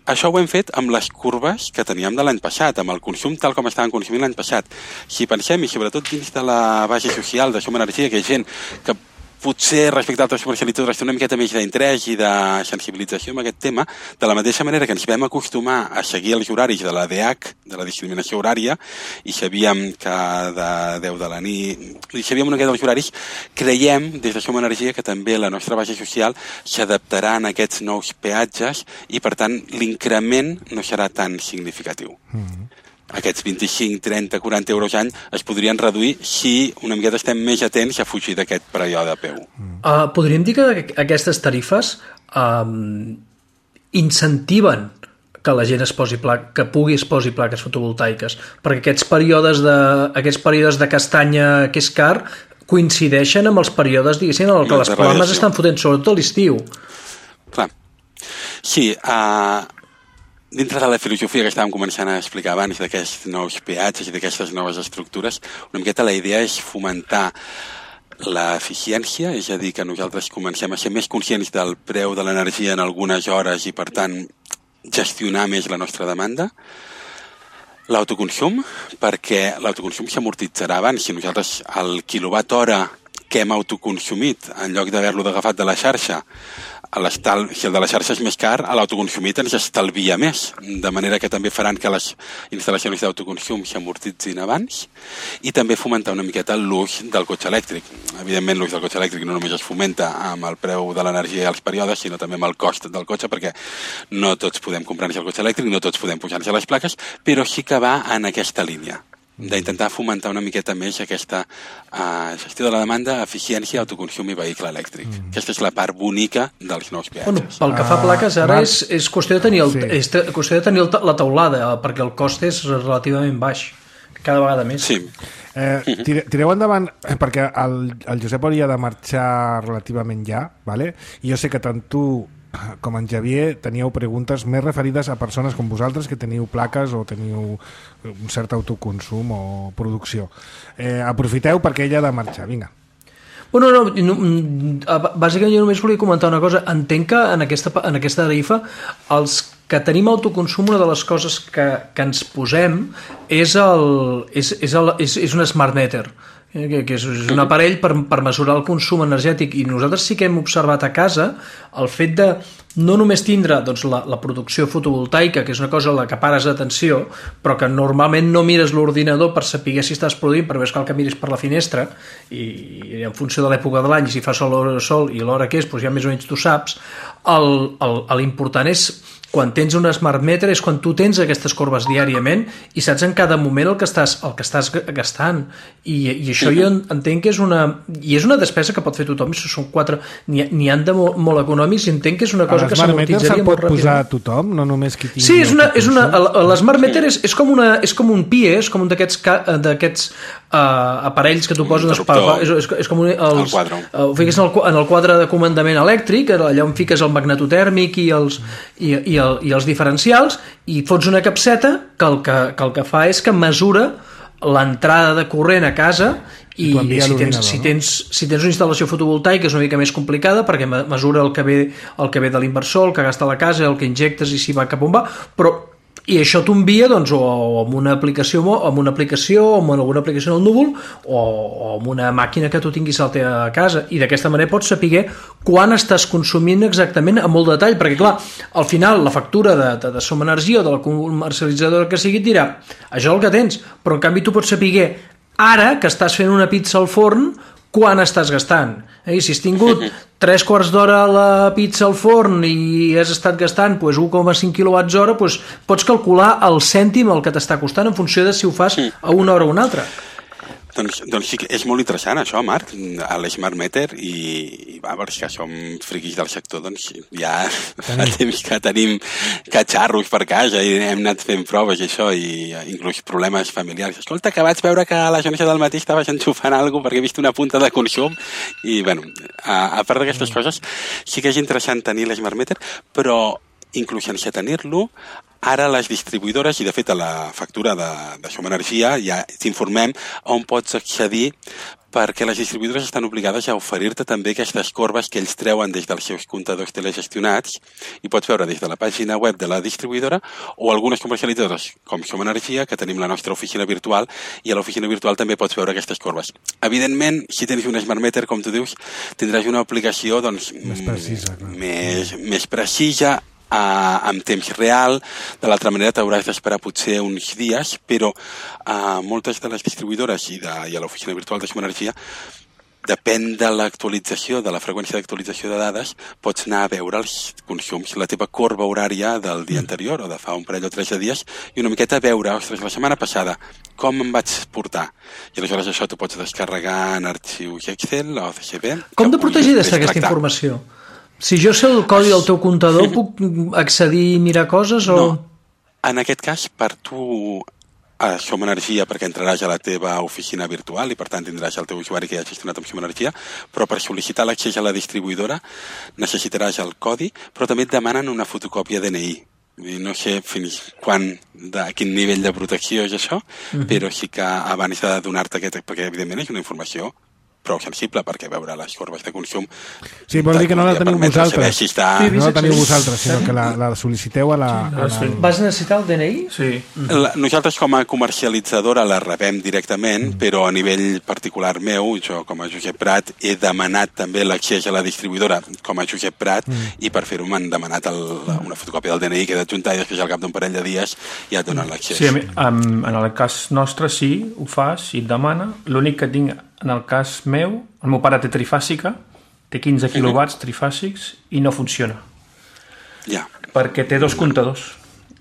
això ho hem fet amb les curves que teníem de l'any passat, amb el consum tal com estaven consumint l'any passat. Si pensem, i sobretot dins de la base social de Som Energia, que hi ha gent que potser respecte a altres comercialitzadores té una miqueta més d'interès i de sensibilització amb aquest tema, de la mateixa manera que ens vam acostumar a seguir els horaris de la D H, de la discriminació horària, i sabíem que de deu de la nit, i sabíem una miqueta dels horaris, creiem des de Som Energia que també la nostra base social s'adaptarà a aquests nous peatges i per tant l'increment no serà tan significatiu. Mm-hmm. Aquests vint-i-cinc, trenta, quaranta euros any es podrien reduir si una miqueta estem més atents a fugir d'aquest període de P U. Uh, podríem dir que aquestes tarifes um, incentiven que la gent es posi pla que pugui es posi plaques fotovoltaiques, perquè aquests períodes de, aquests períodes de castanya que és car coincideixen amb els períodes, diguéssim, en què les plomes estan fotent, sobretot a l'estiu. Clar. Sí, uh, dintre de la filosofia que estàvem començant a explicar abans d'aquests nous peatges i d'aquestes noves estructures, una miqueta la idea és fomentar l'eficiència, és a dir, que nosaltres comencem a ser més conscients del preu de l'energia en algunes hores i, per tant, gestionar més la nostra demanda. L'autoconsum, perquè l'autoconsum s'amortitzarà abans. Si nosaltres el quilowatt hora que hem autoconsumit, en lloc d'haver-lo agafat de la xarxa, si el de la xarxa és més car, l'autoconsumit ens estalvia més, de manera que també faran que les instal·lacions d'autoconsum s'amortitzin abans, i també fomentar una miqueta l'ús del cotxe elèctric. Evidentment, l'ús del cotxe elèctric no només es fomenta amb el preu de l'energia i els períodes, sinó també amb el cost del cotxe, perquè no tots podem comprar-nos el cotxe elèctric, no tots podem pujar-nos a les plaques, però sí que va en aquesta línia, d'intentar fomentar una miqueta més aquesta uh, gestió de la demanda, eficiència, autoconsum i vehicle elèctric. Mm. Aquesta és la part bonica dels nous peatges. Bueno, pel que fa a plaques, ara uh, és, és qüestió de tenir, el, sí. és qüestió de tenir el, la teulada, perquè el cost és relativament baix, cada vegada més. Sí. Eh, tire, tireu endavant, perquè el, el Josep hauria de marxar relativament ja, vale? I jo sé que tant tu com en Xavier teníeu preguntes més referides a persones com vosaltres que teniu plaques o teniu un cert autoconsum o producció. Eh, aprofiteu perquè ella ha de marxar, vinga. Bueno, no, no, bàsicament jo només volia comentar una cosa. Entenc que en aquesta, en aquesta tarifa els que tenim autoconsum, una de les coses que, que ens posem és, el, és, és, el, és, és un smart meter, que, que és un aparell per, per mesurar el consum energètic, i nosaltres sí que hem observat a casa el fet de no només tindre doncs, la, la producció fotovoltaica, que és una cosa a la que pares atenció, però que normalment no mires l'ordinador per saber si estàs produint, però ves cal que miris per la finestra, i, i en funció de l'època de l'any, si fa sol o sol i l'hora que és, doncs ja més o menys tu saps. L'important és, quan tens un smart meter, és quan tu tens aquestes corbes diàriament i saps en cada moment el que estàs, el que estàs gastant, i, i això jo entenc que és una i és una despesa que pot fer tothom. Són quatre, n'hi han de molt, molt econòmics, i entenc que és una cosa que s'amortitzaria molt ràpidament. Pot posar a tothom, no només qui tingui... Sí, és una, és una, l'Smart Meter és, és, com una, és com un P I E, és com un d'aquests d'aquests uh, aparells que tu poses... És, és, és com un, els, el quadre. Uh, fiques en el, en el quadre de comandament elèctric, allà on fiques el magnetotèrmic i els, i, i el, i els diferencials, i fots una capseta que el que, que el que fa és que mesura l'entrada de corrent a casa, i, i si, tens, si, tens, si tens una instal·lació fotovoltaica és una mica més complicada, perquè mesura el que ve, el que ve de l'inversor, el que gasta la casa, el que injectes i si va cap on va, però i això t'envia doncs, o amb una aplicació amb una aplicació, o amb alguna aplicació en el núvol, o, o amb una màquina que tu tinguis a la casa, i d'aquesta manera pots saber quan estàs consumint exactament a molt detall, perquè clar, al final la factura de, de, de Som Energia o de la comercialitzadora que sigui et dirà, això és el que tens, però en canvi tu pots saber ara que estàs fent una pizza al forn quan estàs gastant. Eh? Si has tingut tres quarts d'hora la pizza al forn i has estat gastant pues, un coma cinc quilowatts hora, pues, pots calcular el cèntim el que t'està costant en funció de si ho fas a una hora o una altra. Doncs, doncs sí que és molt interessant això, Marc, a l'Smart Meter, i, i va, perquè som friquis del sector, doncs ja fa temps que tenim catxarros per casa i hem anat fent proves i això, i inclús problemes familiars. Escolta, que vaig veure que a la jornada del matí estaves enxufant alguna cosa perquè he vist una punta de consum, i bueno, a, a part d'aquestes coses, sí que és interessant tenir l'Smart Meter, però inclús sense tenir-lo, ara les distribuïdores, i de fet a la factura de, de Som Energia ja t'informem on pots accedir, perquè les distribuïdores estan obligades a oferir-te també aquestes corbes que ells treuen des dels seus comptadors telegestionats, i pots veure des de la pàgina web de la distribuïdora o algunes comercialitzadores com Som Energia, que tenim la nostra oficina virtual, i a l'oficina virtual també pots veure aquestes corbes. Evidentment, si tens un Smart Meter, com tu dius, tindràs una aplicació doncs, més precisa, clar. més, més precisa, Uh, en temps real. De l'altra manera t'hauràs d'esperar potser uns dies, però uh, moltes de les distribuïdores i, de, i a l'oficina virtual de Som Energia, depèn de l'actualització, de la freqüència d'actualització de dades, pots anar a veure els consums, la teva corba horària del dia anterior o de fa un parell o tres de dies, i una miqueta veure, ostres, la setmana passada com em vaig portar, i aleshores això t'ho pots descarregar en arxius Excel o C S V. Com de protegida està aquesta informació? Si jo sé el codi del teu comptador, puc accedir i mirar coses? O... No, en aquest cas, per tu a Som Energia, perquè entraràs a la teva oficina virtual i per tant tindràs el teu usuari que ja ha gestionat amb Som Energia, però per sol·licitar l'accés a la distribuïdora necessitaràs el codi, però també et demanen una fotocòpia D N I. No sé fins quan, de quin nivell de protecció és això, uh-huh. però sí que abans de donar-te aquest, perquè evidentment és una informació prou sensible, perquè veure les corbes de consum... Sí, vol dir que no la teniu vosaltres. Si està... sí, no la teniu vosaltres, sinó que la, la sol·liciteu a la... A la... Vas necessitar el D N I? Sí. La, nosaltres com a comercialitzadora la rebem directament, mm. però a nivell particular meu, jo com a Josep Prat, he demanat també l'accés a la distribuïdora com a Josep Prat, mm. i per fer-ho m'han demanat el, una fotocòpia del D N I que he d'adjuntar, i després al cap d'un parell de dies ja et donen l'accés. Sí, en, en el cas nostre sí, ho fas i et demana. L'únic que tinc en el cas meu, el meu pare té trifàsica, té quinze quilowatts trifàsics i no funciona. Ja. Perquè té dos comptadors.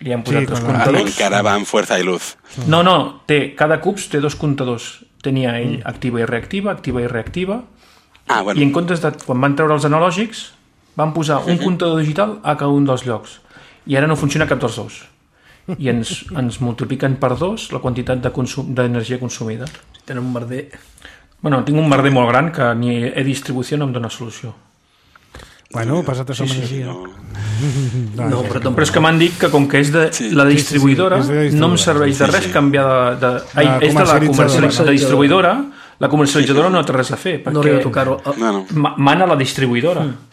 Li han posat sí, dos comptadors. Encara va amb fuerza i luz. No, no, té, cada CUPS té dos comptadors. Tenia ell activa i reactiva, activa i reactiva, ah, bueno. I en comptes de, quan van treure els analògics, van posar un comptador digital a cada un dels llocs. I ara no funciona cap dels dos. I ens, ens multipliquen per dos la quantitat de consum, d'energia consumida. Tenen un merder... Bueno, tinc un merder molt gran que ni e-distribució no em dona solució. Bueno, passat a Som Energia. Sí, sí, no. no, però, però és que m'han dit que com que és de sí. la distribuïdora, sí, sí, sí, de distribuïdora, no em serveix de res sí, sí. canviar de... de ai, és de la comercialitzadora, de distribuïdora, La comercialitzadora no té res a fer, perquè no arriba a tocar-ho. No, no. mana la distribuïdora. Mm.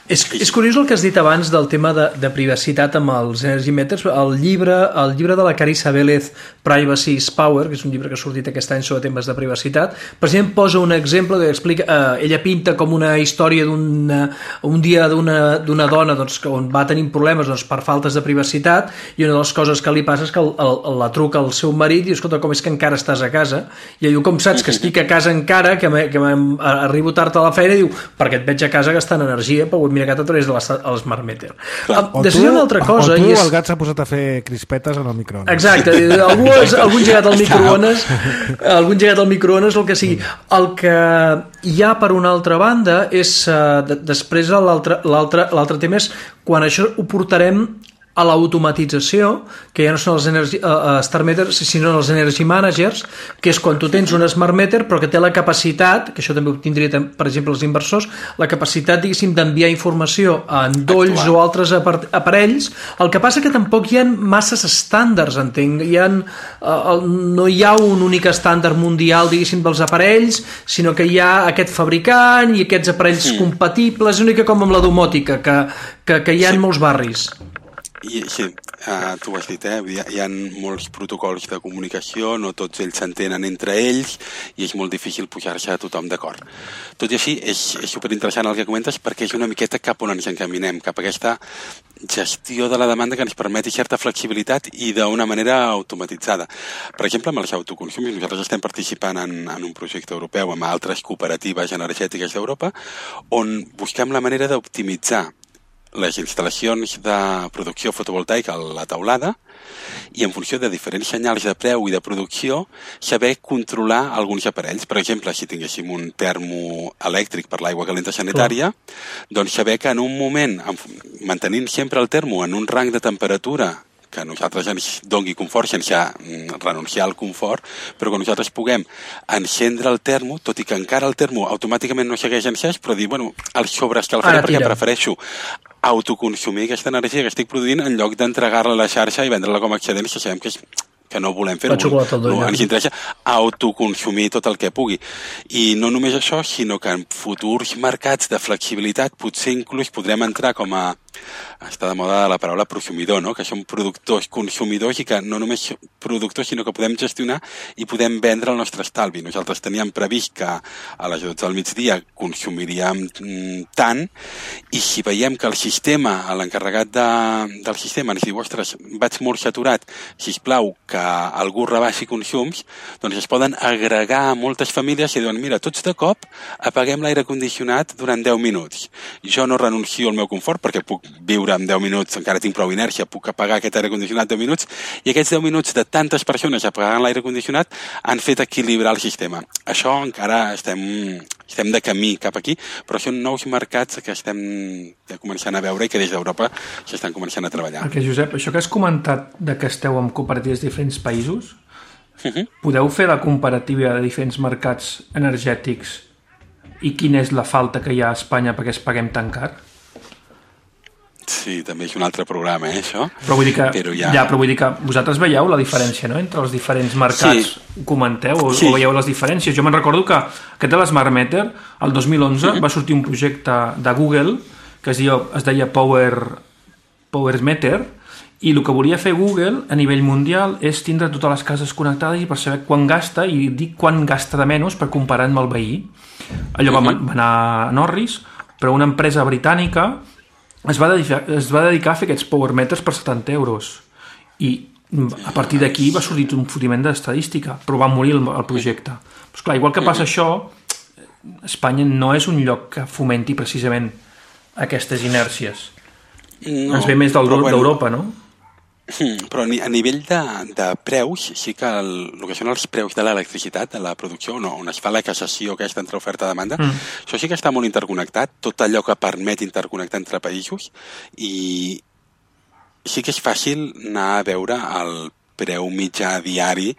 És, és curiós el que has dit abans del tema de, de privacitat amb els Energy Matters. El llibre, el llibre de la Carissa Vélez, Privacy is Power, que és un llibre que ha sortit aquest any sobre temes de privacitat, precisament posa un exemple que explica, eh, ella pinta com una història d'un un dia d'una dona doncs, on va tenir problemes doncs, per faltes de privacitat, i una de les coses que li passa és que el, el, la truca al seu marit i diu, escolta, com és que encara estàs a casa? I ell diu, com saps que estic a casa encara, que, que arribo tard a la feina? I diu, perquè et veig a casa gastant energia, però ho he mirat a través de l'Smart Meter. O tu, una altra cosa, o tu és... el gat s'ha posat a fer crispetes en el microones. Exacte, algú, algun llegat al microones, algun llegat al microones, el que sigui. El que hi ha per una altra banda és, uh, de, després l'altre tema és quan això ho portarem a l'automatització, que ja no són els energy, uh, Star Meters, sinó els Energy Managers, que és quan tu tens un Smart Meter però que té la capacitat, que això també ho tindria, per exemple, els inversors, la capacitat, diguéssim, d'enviar informació a endolls o altres aparells. El que passa que tampoc hi ha masses estàndards, entenc. Hi ha, uh, no hi ha un únic estàndard mundial, diguéssim, dels aparells, sinó que hi ha aquest fabricant i aquests aparells sí. compatibles, és una mica com amb la domòtica, que, que, que hi ha sí. en molts barris. I, sí, uh, tu ho has dit, eh? Hi ha, hi ha molts protocols de comunicació, no tots ells s'entenen entre ells i és molt difícil pujar-se a tothom d'acord. Tot i així, és, és superinteressant el que comentes perquè és una miqueta cap on ens encaminem, cap a aquesta gestió de la demanda que ens permeti certa flexibilitat i d'una manera automatitzada. Per exemple, amb els autoconsums, nosaltres estem participant en, en un projecte europeu amb altres cooperatives energètiques d'Europa on busquem la manera d'optimitzar les instal·lacions de producció fotovoltaica a la teulada i en funció de diferents senyals de preu i de producció saber controlar alguns aparells. Per exemple, si tinguéssim un termo elèctric per l'aigua calenta sanitària, Clar. doncs saber que en un moment, mantenint sempre el termo en un rang de temperatura que a nosaltres ens doni confort sense renunciar al confort, però que nosaltres puguem encendre el termo, tot i que encara el termo automàticament no segueix encès, però dir, bueno, el sobreescalfaré perquè prefereixo autoconsumir aquesta energia que estic produint en lloc d'entregar-la a la xarxa i vendre-la com a excedent, que sabem que és que no volem fer-ho, no, ens interessa autoconsumir tot el que pugui. I no només això, sinó que en futurs mercats de flexibilitat potser inclús podrem entrar com a, està de moda la paraula prosumidor, no? Que som productors, consumidors i que no només productors, sinó que podem gestionar i podem vendre el nostre estalvi. Nosaltres teníem previst que a les dotze del migdia consumiríem tant i si veiem que el sistema, l'encarregat de, del sistema ens diu, ostres, vaig molt saturat, sisplau, que algú rebaixi consums, doncs es poden agregar a moltes famílies i diuen, mira, tots de cop apaguem l'aire condicionat durant deu minuts. Jo no renuncio al meu confort perquè puc viure en deu minuts, encara tinc prou inèrcia, puc apagar aquest aire condicionat deu minuts i aquests deu minuts de tantes persones apagant l'aire condicionat han fet equilibrar el sistema. Això encara estem, estem de camí cap aquí, però són nous mercats que estem començant a veure i que des d'Europa s'estan començant a treballar. Perquè, Josep, això que has comentat de que esteu en cooperatives de diferents països, uh-huh. podeu fer la comparativa de diferents mercats energètics i quina és la falta que hi ha a Espanya perquè es paguem tan car? Sí, també és un altre programa, eh, això. Però vull dir que, però ja... Ja, però vull dir que vosaltres veieu la diferència, no?, entre els diferents mercats. Sí. Comenteu o, sí. o veieu les diferències. Jo me'n recordo que aquest de l'Smart Meter, el dos mil onze, mm-hmm. va sortir un projecte de Google que es deia, es deia Power, Power Meter, i el que volia fer Google a nivell mundial és tindre totes les cases connectades i per saber quan gasta i dir quan gasta de menys per comparar amb el veí. Allò va, mm-hmm. va anar a Norris, però una empresa britànica es va, dedicar, es va dedicar a fer aquests power meters per setanta euros i a partir d'aquí va sortir un fotiment d'estadística, però va morir el, el projecte. Però clar, igual que passa això, Espanya no és un lloc que fomenti precisament aquestes inèrcies. No, ens ve més del, bueno, d'Europa, no? Però a nivell de, de preus, sí que el, el que són els preus de l'electricitat, de la producció, no, on es fa la cassació aquesta entre oferta i demanda, mm. això sí que està molt interconnectat, tot allò que permet interconnectar entre països, i sí que és fàcil anar a veure el preu mitjà diari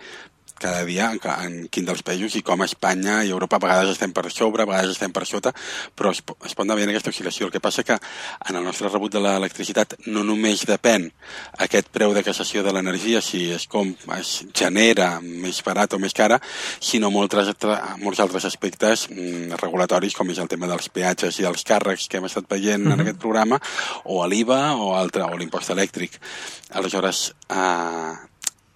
cada dia en, en quin dels països i com a Espanya i Europa a vegades estem per sobre, a vegades estem per sota, però es, es pot anar veient aquesta oscil·lació. El que passa que en el nostre rebut de l'electricitat no només depèn aquest preu de cassació de l'energia, si es, com, es genera més barat o més cara, sinó molts, molts altres aspectes mm, regulatoris, com és el tema dels peatges i dels càrrecs que hem estat veient uh-huh. en aquest programa, o l'I V A o, altre, o l'impost elèctric. Aleshores, eh,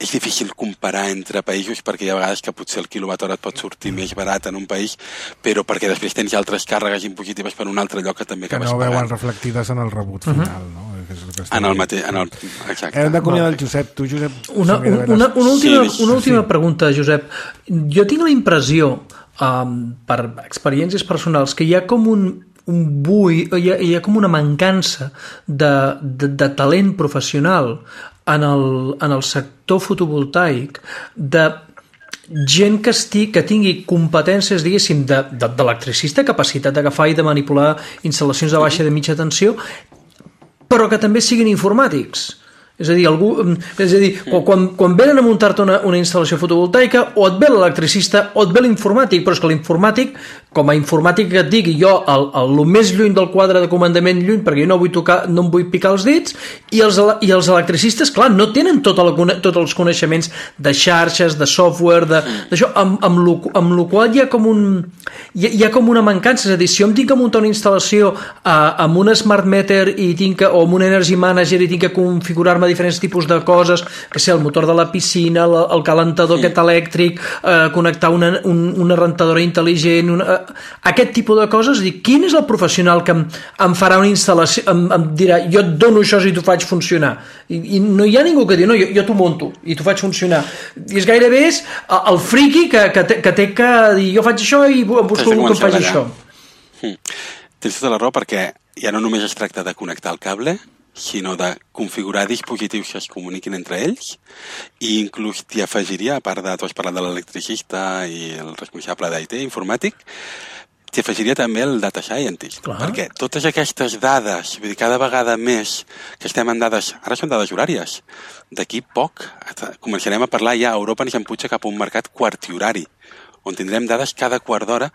és difícil comparar entre països perquè hi ha vegades que potser el quilowatt hora et pot sortir més barat en un país, però perquè després tens altres càrregues impositives per un altre lloc que també que acabes no pagant. veuen reflectides en el rebut final, uh-huh. no? Que és el que en el mateix... En el... Exacte. Hem d'acomiadar el Josep. Tu, Josep... Una, una, una, una última, sí, una última sí. pregunta, Josep. Jo tinc la impressió, um, per experiències personals, que hi ha com un un bui, hi ha, hi ha com una mancança de, de, de talent professional en el, en el sector fotovoltaic, de gent que, estigui, que tingui competències, diguéssim, d'electricista, capacitat d'agafar i de manipular instal·lacions de baixa i de mitja tensió, però que també siguin informàtics. És a dir, algú, és a dir quan, quan venen a muntar-te una, una instal·lació fotovoltaica, o et ve l'electricista o et ve l'informàtic, però és que l'informàtic, com a informàtic que et digui jo, el, el, el més lluny del quadre de comandament lluny, perquè jo no vull tocar, no em vull picar els dits, i els, i els electricistes, clar, no tenen tota la, tots els coneixements de xarxes, de software, d'això, amb, amb, lo, amb lo qual hi ha com un hi ha, hi ha com una mancança. És a dir, si jo em tinc que muntar una instal·lació eh, amb un smart meter i tinc que, o amb un energy manager i tinc que configurar-me diferents tipus de coses, que sé, el motor de la piscina, el, el calentador sí. aquest elèctric, eh, connectar una, un, una rentadora intel·ligent, una, eh, aquest tipus de coses. Dir, quin és el professional que em, em farà una instal·lació, em, em dirà, jo et dono això i t'ho faig funcionar? I, i no hi ha ningú que digui, no, jo, jo t'ho monto i t'ho faig funcionar. I és gairebé és el friqui que, que, té, que té que dir, jo faig això i em busco algú que em faci això. Mm. Tens tota la raó, perquè ja no només es tracta de connectar el cable, sinó de configurar dispositius que es comuniquin entre ells, i inclús t'hi afegiria, a part de, tu has parlat de l'electricista i el responsable d'I T informàtic, t'hi afegiria també el data scientist. Clar. Perquè totes aquestes dades, vull dir, cada vegada més que estem en dades, ara són dades horàries, d'aquí poc començarem a parlar ja, a Europa ens empuja cap a un mercat quarti-horari, on tindrem dades cada quart d'hora,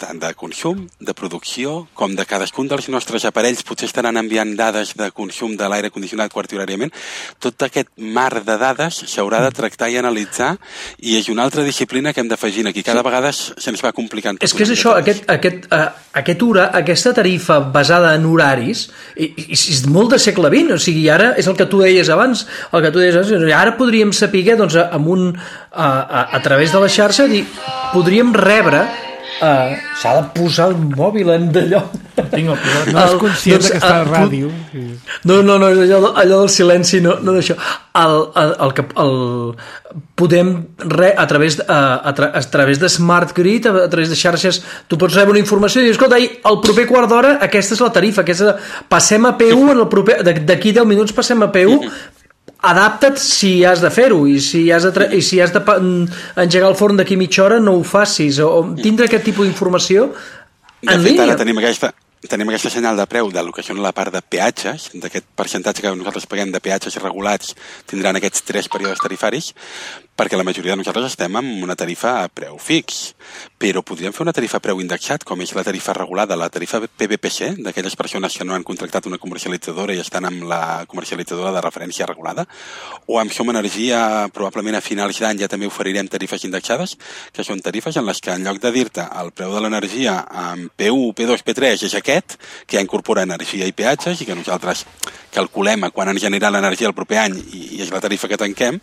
tant de consum, de producció, com de cadascun dels nostres aparells potser estaran enviant dades de consum de l'aire condicionat quarti-horàriament. Tot aquest mar de dades s'haurà de tractar i analitzar, i és una altra disciplina que hem d'afegir aquí. Cada sí. vegada se'ns va complicant. És que és això, aquest, aquest, uh, aquest hora, aquesta tarifa basada en horaris, i, i, és molt de segle vint, o sigui, ara és el que tu deies abans, el que tu deies abans, ara podríem saber, doncs, amb un, uh, a, a través de la xarxa, dir, podríem rebre Uh, s'ha de posar el mòbil en d'allò. No és conscient doncs, que està a ràdio. No, no, no, allò, allò del silenci, no, no d'això. El, el, el, el, podem, re, a través, a, a, tra, a través de Smart Grid, a, a través de xarxes, tu pots rebre una informació i dir, escolta, el proper quart d'hora aquesta és la tarifa, aquesta, passem a P u, en el proper, d'aquí deu minuts passem a P u, adapta't si has de fer-ho, i si has de, i si has de engegar el forn d'aquí mitja hora no ho facis, o, o tindre aquest tipus d'informació en línia. De fet, línia. Ara tenim aquesta, tenim aquesta senyal de preu del que són la part de peatges, d'aquest percentatge que nosaltres paguem de peatges regulats, tindran aquests tres períodes tarifaris, perquè la majoria de nosaltres estem amb una tarifa a preu fix, però podríem fer una tarifa a preu indexat, com és la tarifa regulada, la tarifa P V P C, d'aquelles persones que no han contractat una comercialitzadora i estan amb la comercialitzadora de referència regulada, o amb Som Energia, probablement a finals d'any ja també oferirem tarifes indexades, que són tarifes en les que en lloc de dir-te el preu de l'energia amb P u, P dos, P tres és aquest, que ja incorpora energia i peatges, i que nosaltres calculem a quan ens genera l'energia el proper any i, i és la tarifa que tanquem,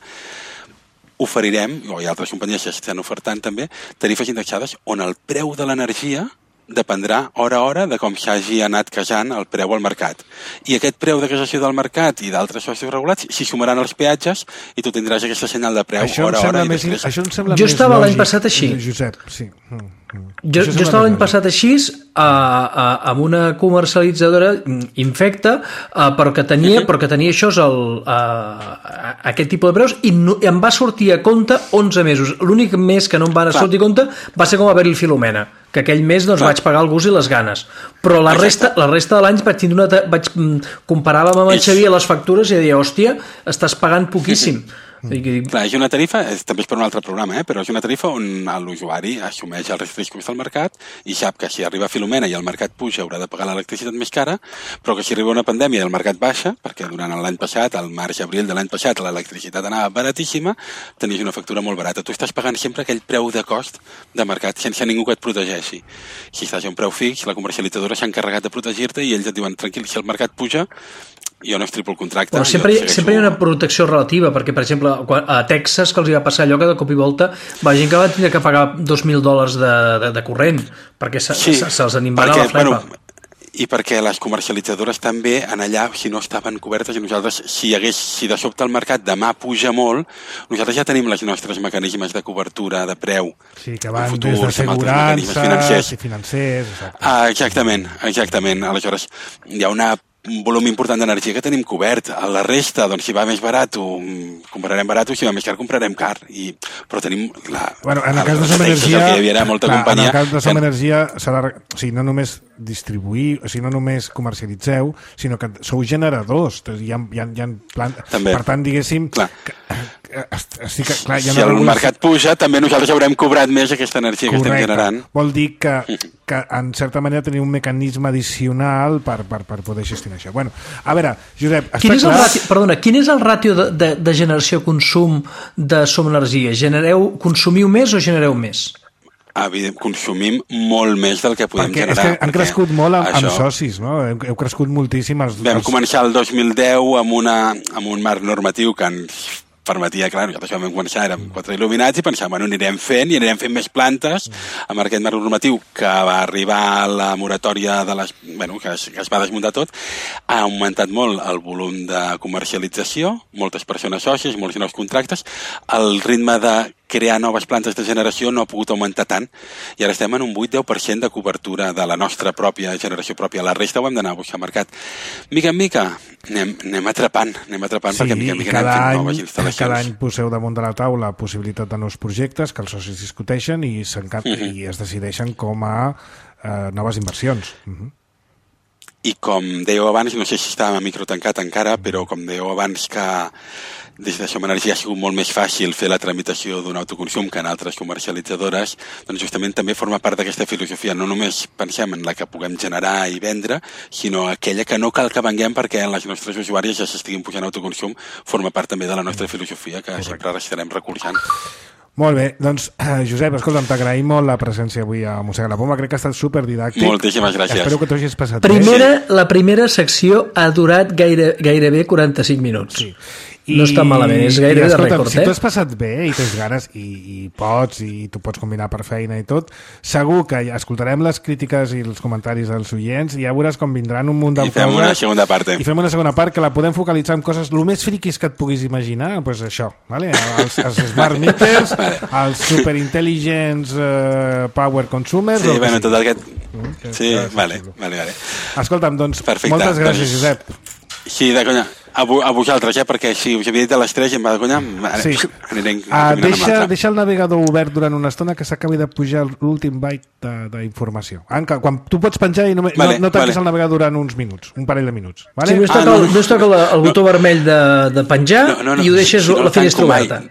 oferirem, o hi ha altres companyies que estan ofertant també, tarifes indexades on el preu de l'energia dependrà hora a hora de com s'hagi anat casant el preu al mercat. I aquest preu de casació del mercat i d'altres socis regulats s'hi sumaran els peatges i tu tindràs aquesta senyal de preu això hora a hora. Més, després... Això em sembla jo més estava lògic, l'any passat així. Josep, sí. Mm, mm. Jo, jo estava l'any passat així a, a, amb una comercialitzadora infecta, a, però, que tenia, uh-huh. però que tenia això, el, a, a, aquest tipus de preus, i, no, i em va sortir a compte onze mesos. L'únic mes que no em van sortir a compte va ser com haver-hi Filomena, que aquell mes doncs, vaig pagar el gust i les ganes, però la resta, la resta de l'any vaig, una, vaig comparar-la amb el Xavier les factures i deia, hòstia, estàs pagant poquíssim. Mm. Clar, és una tarifa, és, també és per un altre programa, eh? Però és una tarifa on l'usuari assumeix els riscos del mercat i sap que si arriba Filomena i el mercat puja haurà de pagar l'electricitat més cara, però que si arriba una pandèmia i el mercat baixa, perquè durant l'any passat, al març-abril de l'any passat, l'electricitat anava baratíssima, tenies una factura molt barata. Tu estàs pagant sempre aquell preu de cost de mercat sense ningú que et protegeixi. Si estàs a un preu fix, la comercialitzadora s'ha encarregat de protegir-te i ells et diuen, tranquil, si el mercat puja, jo no estripo el contracte. Però sempre, hi, sempre hi ha una protecció relativa, perquè, per exemple, a Texas, que els hi va passar allò que de cop i volta va gent que va tenir que pagar dos mil dòlars de, de, de corrent, perquè se, sí, se, se'ls animarà la flepa. Bueno, i perquè les comercialitzadores també en allà, si no estaven cobertes, i nosaltres, si, hagués, si de sobte el mercat demà puja molt, nosaltres ja tenim els nostres mecanismes de cobertura de preu. Sí, que van futurs, des d'assegurances financers. i financers. Exacte. Ah, exactament, exactament. Aleshores, hi ha una un volum important d'energia que tenim cobert. A la resta, doncs, si va més barat, comprarem barat, si va més car, comprarem car. I, però tenim la... Bueno, en el cas de Som Energia... Que hi molta clar, companyia, en el cas de Som Energia, serà, o sigui, no només distribuir, o sigui, no només comercialitzeu, sinó que sou generadors. Hi ha, hi ha, hi ha plan... Per tant, diguéssim... Clar. Que, que, estic, clar, hi ha si el regulació... mercat puja, també nosaltres haurem cobrat més aquesta energia Correcte. Que estem generant. Vol dir que, que en certa manera teniu un mecanisme addicional per, per, per poder gestionar això. Bueno, a veure, Josep, està quin és clar... el ràtio, perdona, quin és el ràtio de, de, de generació-consum de Som Energia? Genereu, consumiu més o genereu més? Evident, consumim molt més del que podem perquè generar. És que han crescut molt amb, això, amb socis, no? Heu, heu crescut moltíssim. Els, vam els... començar el dos mil deu amb, una, amb un marc normatiu que ens permetia, clar, nosaltres vam començar, érem quatre il·luminats i pensàvem, bueno, anirem fent i anirem fent més plantes amb aquest marc normatiu que va arribar a la moratòria de les, bueno, que es, que es va desmuntar tot. Ha augmentat molt el volum de comercialització, moltes persones sòcies, molts nous contractes, el ritme de crear noves plantes de generació no ha pogut augmentar tant i ara estem en un vuit a deu per cent de cobertura de la nostra pròpia generació pròpia. La resta ho hem d'anar a buscar al mercat. Mica en mica anem, anem atrapant, anem atrapant sí, perquè mica en mica anem fent any, noves instal·lacions. Cada any poseu damunt de la taula possibilitat de nous projectes que els socis discuteixen i, uh -huh. i es decideixen com a eh, noves inversions. Uh -huh. I com dèieu abans, no sé si estàvem a micro tancat encara, però com dèieu abans que des de Som Energia ha sigut molt més fàcil fer la tramitació d'un autoconsum que en altres comercialitzadores, doncs justament també forma part d'aquesta filosofia. No només pensem en la que puguem generar i vendre, sinó aquella que no cal que venguem perquè les nostres usuàries ja s'estiguin pujant autoconsum, forma part també de la nostra filosofia que Correcte. Sempre estarem recolzant. Molt bé, doncs eh, Josep, escolta'm, t'agraïm molt la presència avui a Mossega la Poma, crec que ha estat superdidàctic. Moltíssimes gràcies. Espero que t'ho hagis passat primera, bé. La primera secció ha durat gaire, gairebé quaranta-cinc minuts. Sí. I, no està malament, és gairebé de rècord, si eh? Si t'has passat bé i tens ganes i, i pots, i tu pots combinar per feina i tot, segur que escoltarem les crítiques i els comentaris dels oients i ja veuràs com vindran un munt de coses. I fem una segona part. I fem una segona part que la podem focalitzar en coses el més friquis que et puguis imaginar, doncs pues això, vale? els, els smart meters, els superintel·ligents uh, power consumers... Sí, bueno, tot el que... Mm, sí, vale, vale, vale. Escolta'm, doncs, Perfecte. moltes gràcies, doncs, Josep. Sí, de conya. A, a vosaltres, eh? Perquè si us havia dit a les tres i em va de conya, sí. anirem uh, deixa, deixa el navegador obert durant una estona que s'acabi de pujar l'últim byte d'informació. Quan tu pots penjar i no, vale, no, no tanquis vale. el navegador durant uns minuts, un parell de minuts. Vale? Sí, no es toca, ah, no, no es toca el, el botó no. vermell de, de penjar no, no, no, i ho deixes si no la finestra oberta.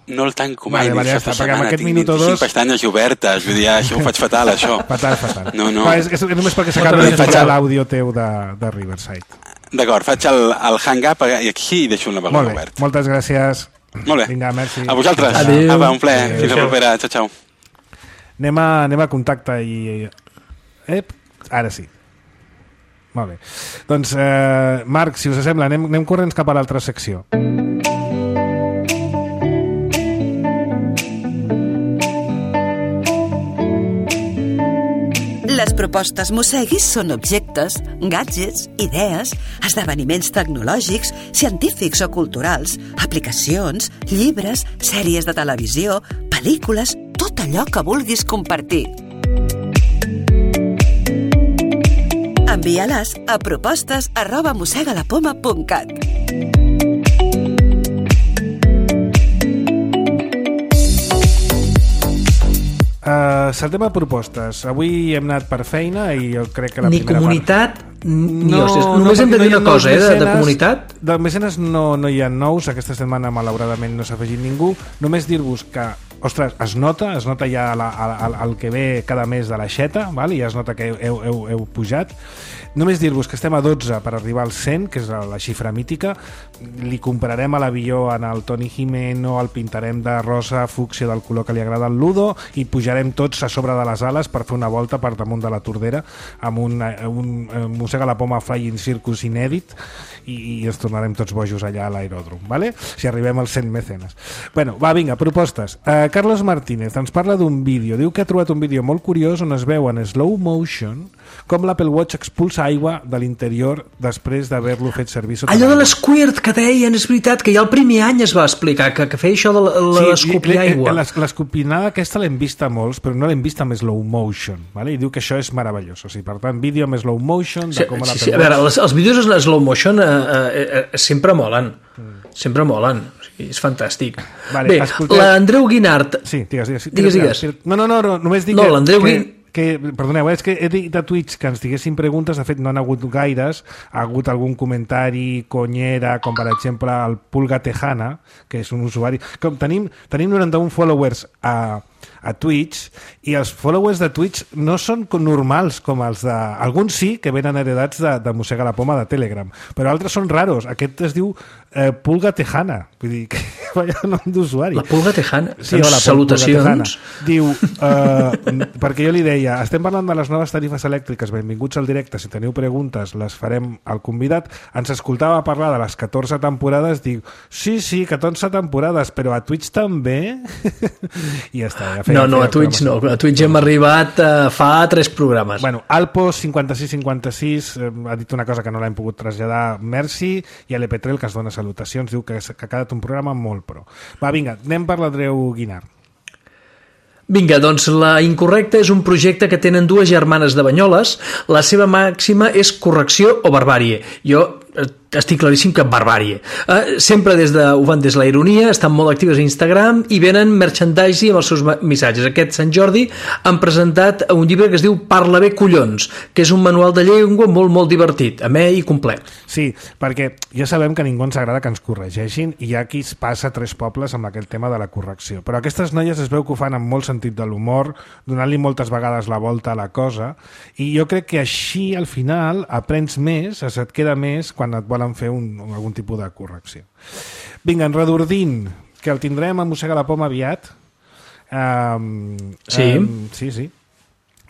No el tanco mai, vale, vale, ja està, perquè amb aquest minut o dos... Tinc pestanyes obertes, vull dir, això ho faig fatal, això. Fatal, fatal. No, no. Però és, és només perquè s'acabi de pujar l'àudio teu de, de Riverside. D'acord, faig el, el hang-up i aquí i deixo un navegador obert. Moltes gràcies. Molt bé. Vinga, merci. A vosaltres. Adéu. Apa, un plaer. Adéu. Fins la propera. Xau, xau. Anem a, anem a contacte i... Ep, ara sí. Molt bé. Doncs, eh, Marc, si us sembla, anem, anem corrents cap a l'altra secció. Les propostes Mosseguis són objectes, gadgets, idees, esdeveniments tecnològics, científics o culturals, aplicacions, llibres, sèries de televisió, pel·lícules, tot allò que vulguis compartir. Envia-les a propostes arroba mossegalapoma punt cat. Uh, saltem a propostes. Avui hem anat per feina i jo crec que la ni primera comunitat part... No, hòsties, només hem de dir una cosa, eh, de, de comunitat. De mecenes no, no hi ha nous, aquesta setmana malauradament no s'ha afegit ningú. Només dir-vos que, ostres, es nota, es nota ja la, el, el que ve cada mes de l'aixeta, val? I ja es nota que heu, heu, heu pujat. Només dir-vos que estem a dotze per arribar al cent, que és la xifra mítica. Li comprarem a l'avió en el Toni Jimeno, el pintarem de rosa fúcsia del color que li agrada al Ludo i pujarem tots a sobre de les ales per fer una volta per damunt de la Tordera amb un, un, un Mossega la Poma Flying Circus inèdit i, i ens tornarem tots bojos allà a l'aeròdrom, vale? Si arribem als cent mecenes. Bueno, va, vinga, propostes. Uh, Carlos Martínez ens parla d'un vídeo. Diu que ha trobat un vídeo molt curiós on es veu en slow motion com l'Apple Watch expulsa aigua de l'interior després d'haver-lo fet servir sota allò de l'esquirt que deien, és veritat que ja el primer any es va explicar que, que feia això de l'escopir sí, aigua. L'escopinada aquesta l'hem vista molts, però no l'hem vista amb slow motion, vale? I diu que això és meravellós, o sigui, per tant, vídeo amb slow motion de sí, com sí, sí, a veure, els, els vídeos en slow motion eh, eh, eh, sempre molen mm. sempre molen, o sigui, és fantàstic. Vale, bé, escolteu... l'Andreu Guinart sí, digues, digues, digues, digues. No, no, no, no, només dic no, que, que, que, perdoneu, és que he dit a Twitch que ens diguessin preguntes, de fet no han hagut gaires, ha hagut algun comentari conyera, com per exemple el Pulga Tejana, que és un usuari, com tenim, tenim noranta-un followers a a Twitch, i els followers de Twitch no són normals com els de... Alguns sí, que venen heredats de, de Mossega la Poma de Telegram, però altres són raros. Aquest es diu eh, Pulga Tejana, vull dir, que vaya nom d'usuari. La Pulga Tejana, sí, hola, salutacions. Diu, eh, perquè jo li deia, estem parlant de les noves tarifes elèctriques, benvinguts al directe, si teniu preguntes les farem al convidat. Ens escoltava parlar de les catorze temporades, diu, sí, sí, catorze temporades, però a Twitch també? I ja està, ja feia, no, no, feia a Twitch no, a Twitch hem arribat uh, fa tres programes. Bueno, Alpo cinquanta-sis cinquanta-sis eh, ha dit una cosa que no l'hem pogut traslladar, merci, i a l'E P tres que es dona salutacions, diu que, que ha quedat un programa molt pro. Va, vinga, anem per l'Andreu Guinart. Vinga, doncs la incorrecta és un projecte que tenen dues germanes de Banyoles. La seva màxima és correcció o barbàrie. Jo estic claríssim que barbàrie. Uh, sempre des de, ho fan des de la ironia, estan molt actives a Instagram i venen merchandising amb els seus missatges. Aquest Sant Jordi han presentat un llibre que es diu Parla bé collons, que és un manual de llengua molt, molt divertit, amè i complet. Sí, perquè ja sabem que a ningú ens agrada que ens corregeixin i hi ha qui es passa tres pobles amb aquest tema de la correcció. Però aquestes noies es veu que ho fan amb molt sentit de l'humor, donant-li moltes vegades la volta a la cosa, i jo crec que així al final aprens més, et queda més quan et volen fer un, algun tipus de correcció. Vinga, en Redordín, que el tindrem a Mossega la Poma aviat. Um, sí. Um, sí, sí.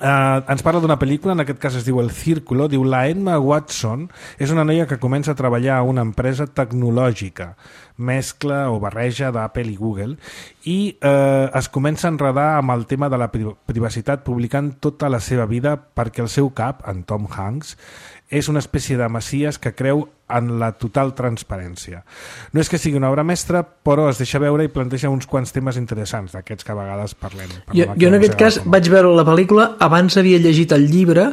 Uh, ens parla d'una pel·lícula, en aquest cas es diu El Círculo, diu la Emma Watson és una noia que comença a treballar a una empresa tecnològica, mescla o barreja d'Apple i Google, i uh, es comença a enredar amb el tema de la privacitat publicant tota la seva vida perquè el seu cap, en Tom Hanks, és una espècie de messies que creu en la total transparència. No és que sigui una obra mestra, però es deixa veure i planteja uns quants temes interessants, d'aquests que a vegades parlem. Jo, jo en aquest cas vaig veure la pel·lícula, abans havia llegit el llibre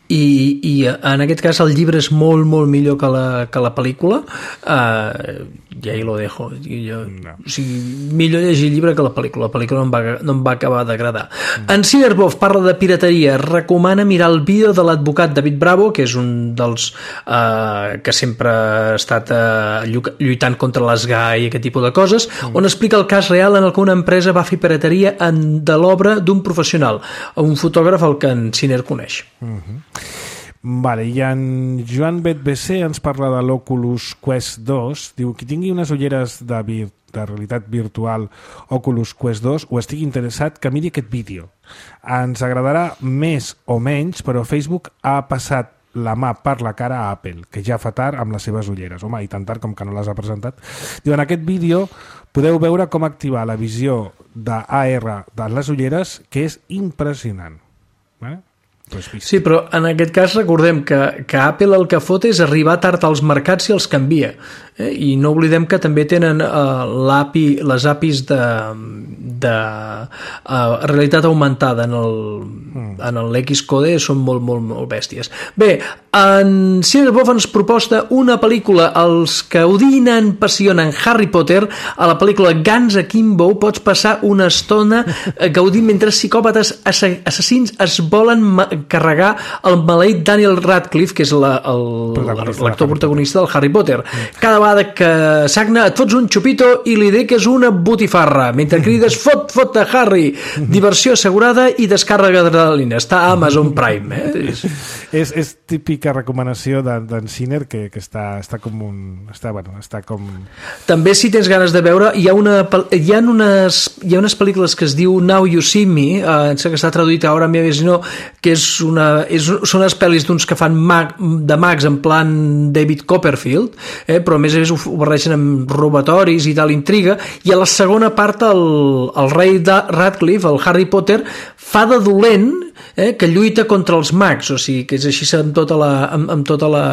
i, i en aquest cas el llibre és molt, molt millor que la, que la pel·lícula. Uh, i ahí lo dejo. Jo, no. O sigui, millor llegir el llibre que la pel·lícula. La pel·lícula no em va, no em va acabar d'agradar. Mm. En Cinerbov parla de pirateria, recomana mirar el vídeo de l'advocat David Bravo, que és un dels uh, que sempre ha estat uh, lluitant contra les G A i aquest tipus de coses, mm. on explica el cas real en el que una empresa va fer pirateria en, de l'obra d'un professional, un fotògraf al que en Ciner coneix. Mm-hmm. Vale, i en Joan Bet B C ens parla de l'Oculus Quest dos, diu qui tingui unes ulleres de, vir, de realitat virtual Oculus Quest dos o estigui interessat que miri aquest vídeo. Ens agradarà més o menys, però Facebook ha passat la mà per la cara a Apple, que ja fa tard amb les seves ulleres. Home, i tan tard com que no les ha presentat. Diu, en aquest vídeo podeu veure com activar la visió d'A R de les ulleres, que és impressionant. Eh? Sí, però en aquest cas recordem que, que Apple el que fot és arribar tard als mercats i els canvia. Eh? I no oblidem que també tenen uh, l'A P I, les A P Is de, de uh, realitat augmentada en el, mm. en l'Xcode, són molt, molt, molt bèsties. Bé, en Cinebof ens proposta una pel·lícula, els que odinen, passionen Harry Potter, a la pel·lícula Guns Akimbo pots passar una estona gaudint mentre psicòpates assassins es volen carregar el maleït Daniel Radcliffe, que és l'actor protagonista del Harry Potter. Cada vegada que sagna et fots un xupito i l'idea que és una botifarra, mentre crides fot, fot de Harry, diversió assegurada i descàrrega d'adrenalina. Està a Amazon Prime. Eh? és, és típica recomanació d'en Sinner que, que està, està com un... Està, bueno, està com... També, si tens ganes de veure, hi ha, una, hi ha, unes, hi ha unes pel·lícules que es diu Now You See Me, eh, que està traduït a Ahora Me Ves No, que és una, és, són les pel·lis d'uns que fan mag, de mags en plan David Copperfield, eh, però a més a més ho, ho barregen amb robatoris i tal, intriga, i a la segona part el, el rei de Radcliffe, el Harry Potter, fa de dolent, eh, que lluita contra els mags, o sigui que és així amb tota la, amb, amb tota la,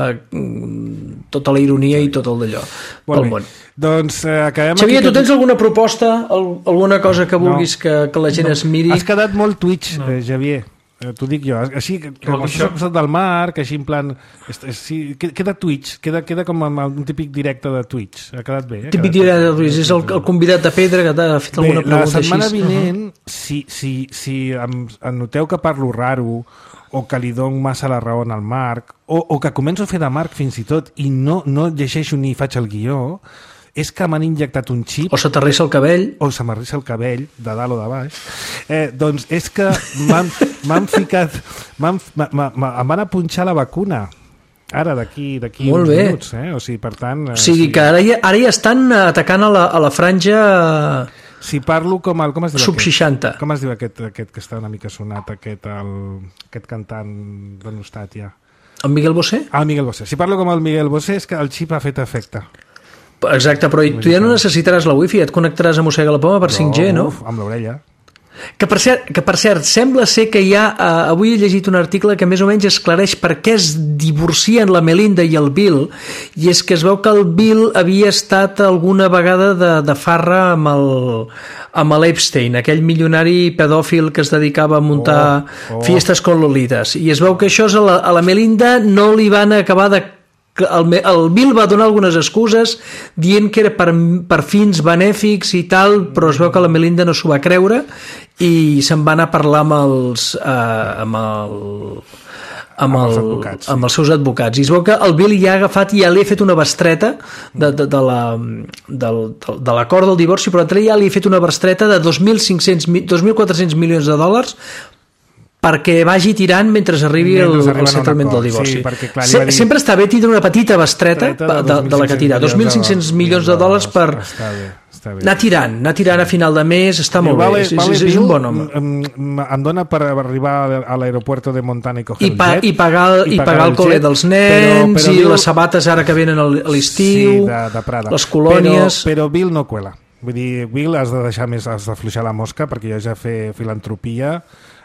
tota la ironia i tot el d'allò pel món. Doncs eh, acabem Xavier, aquí... tu tens alguna proposta, alguna cosa que vulguis no, que, que la gent no. es miri? Has quedat molt Twitch, no. eh, Xavier. Eh, t'ho dic jo, així que com això s'ha del mar, que així en plan sí, queda Twitch, queda, queda com un típic directe de Twitch, ha quedat bé eh? Típic directe de Twitch, és el, el convidat de Pedra que t'ha fet alguna bé, pregunta així. La setmana així. vinent uh -huh. si, si, si em, em noteu que parlo raro o que li dono massa la raó al Marc o, o que començo a fer de Marc fins i tot i no, no llegeixo ni faig el guió, és que m'han injectat un xip... O se t'arrissa el cabell. O se m'arrissa el cabell, de dalt o de baix. Eh, doncs és que m'han ficat... M'han, em van a punxar la vacuna. Ara, d'aquí uns bé. minuts. Eh? O sigui, per tant... Eh, o sigui, sí. que ara ja, ara ja estan atacant a la, a la franja... Si parlo com el... Com es diu sub seixanta. Com es diu aquest, aquest que està una mica sonat, aquest, el, aquest cantant denostat ja? El Miguel Bosé? Ah, el Miguel Bosé. Si parlo com el Miguel Bosé és que el xip ha fet efecte. Exacte, però tu ja no necessitaràs la wifi, et connectaràs a Mossega la Poma per cinc G, no? Uf, amb l'orella. Que per, cert, que per cert, sembla ser que hi ha... Uh, avui he llegit un article que més o menys esclareix per què es divorcien la Melinda i el Bill, i és que es veu que el Bill havia estat alguna vegada de, de farra amb el, amb l'Epstein, aquell milionari pedòfil que es dedicava a muntar oh, oh. fiestes con lolitas, i es veu que això a la, a la Melinda no li van acabar de... El, el Bill va donar algunes excuses dient que era per, per fins benèfics i tal, però es veu que la Melinda no s'ho va creure i se'n va anar a parlar amb els eh, amb el amb, el, els advocats, sí. amb els seus advocats, i es veu que el Bill ja ha agafat i ja li ha fet una bestreta de, de, de la de, de l'acord del divorci, però entre ja li ha fet una bestreta de dos mil quatre-cents milions de dòlars perquè vagi tirant mentre arribi el, el settlement del divorci. Sí, perquè, clar, Se, dir... Sempre està bé tindre una petita bestreta de, de, de la que tira. dos mil cinc-cents milions de dòlars per està bé, està bé. anar tirant, anar tirant a final de mes, està molt vale, bé. És, vale, és, és un bon home. Em, em dona per arribar a l'aeropuerto de Montana i coger I, pa, el jet. I pagar, i pagar, pagar el, el col·le dels nens, però, però i Bill... les sabates ara que venen a l'estiu, sí, de, de Prada. Les colònies... Però, però Bill no cuela. Vull dir, Bill, has de deixar més, has d'afluixar la mosca, perquè jo ja fer filantropia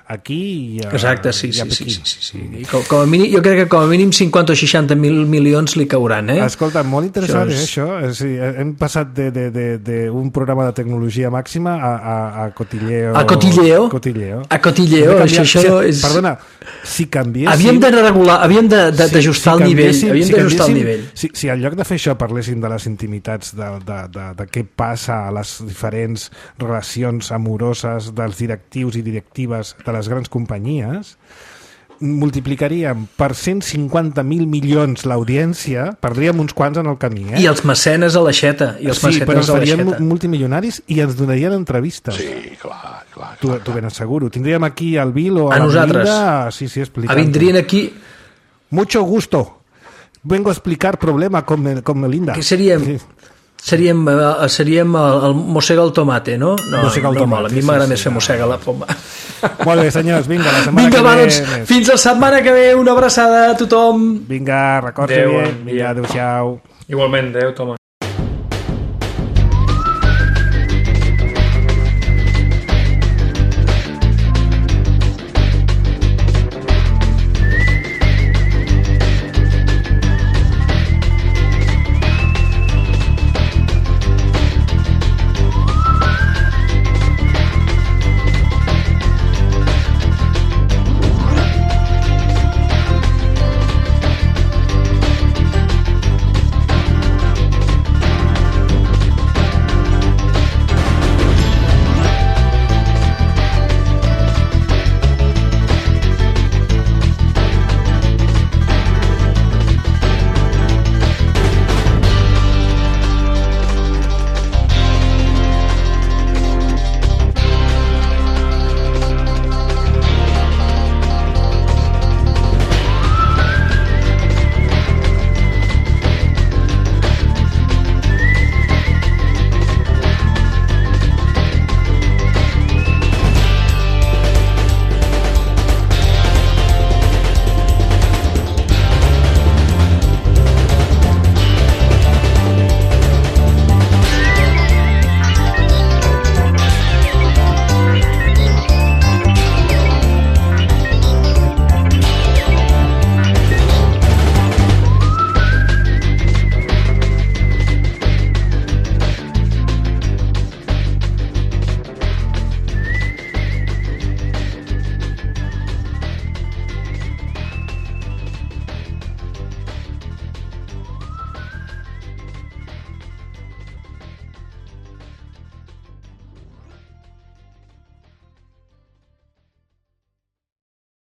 aquí i a, exacte, sí, i a sí, sí, sí, sí. I com, com a mínim, jo crec que com a mínim cinquanta o seixanta mil milions li cauran, eh? Escolta, molt interessant això, és... això. És, hem passat d'un programa de tecnologia màxima a, a, a cotilleo. A cotilleo? Cotilleo. A cotilleo, això, això si, és... Perdona, si canviéssim... Havíem de regular, havíem d'ajustar si, si el nivell. Havíem si d'ajustar el nivell. Si, si en lloc de fer això parléssim de les intimitats, de, de, de, de què passa a les diferents relacions amoroses dels directius i directives de les grans companyies, multiplicaríem per cent cinquanta mil milions l'audiència, perdríem uns quants en el camí, eh? I els mecenes a l'aixeta. I els sí, però ens faríem multimilionaris i ens donarien entrevistes. Sí, clar, clar. Tu, clar, tu ben asseguro. Tindríem aquí el Bill o a, a la nosaltres. Melinda, sí, sí, explicant. Vindrien aquí... Mucho gusto. Vengo a explicar problema con, con Melinda. Que seríem... Sí. Seríem, seríem el, el mossega el tomate, no? No, mossega el no tomate, a mi m'agrada sí, més sí, fer mossega la poma. Molt bé, senyors, vinga, la setmana vinga, que va, ve... Doncs, fins la setmana que ve, una abraçada a tothom. Vinga, recorda bé. Vinga, adéu-siau. Igualment, adéu, Toma.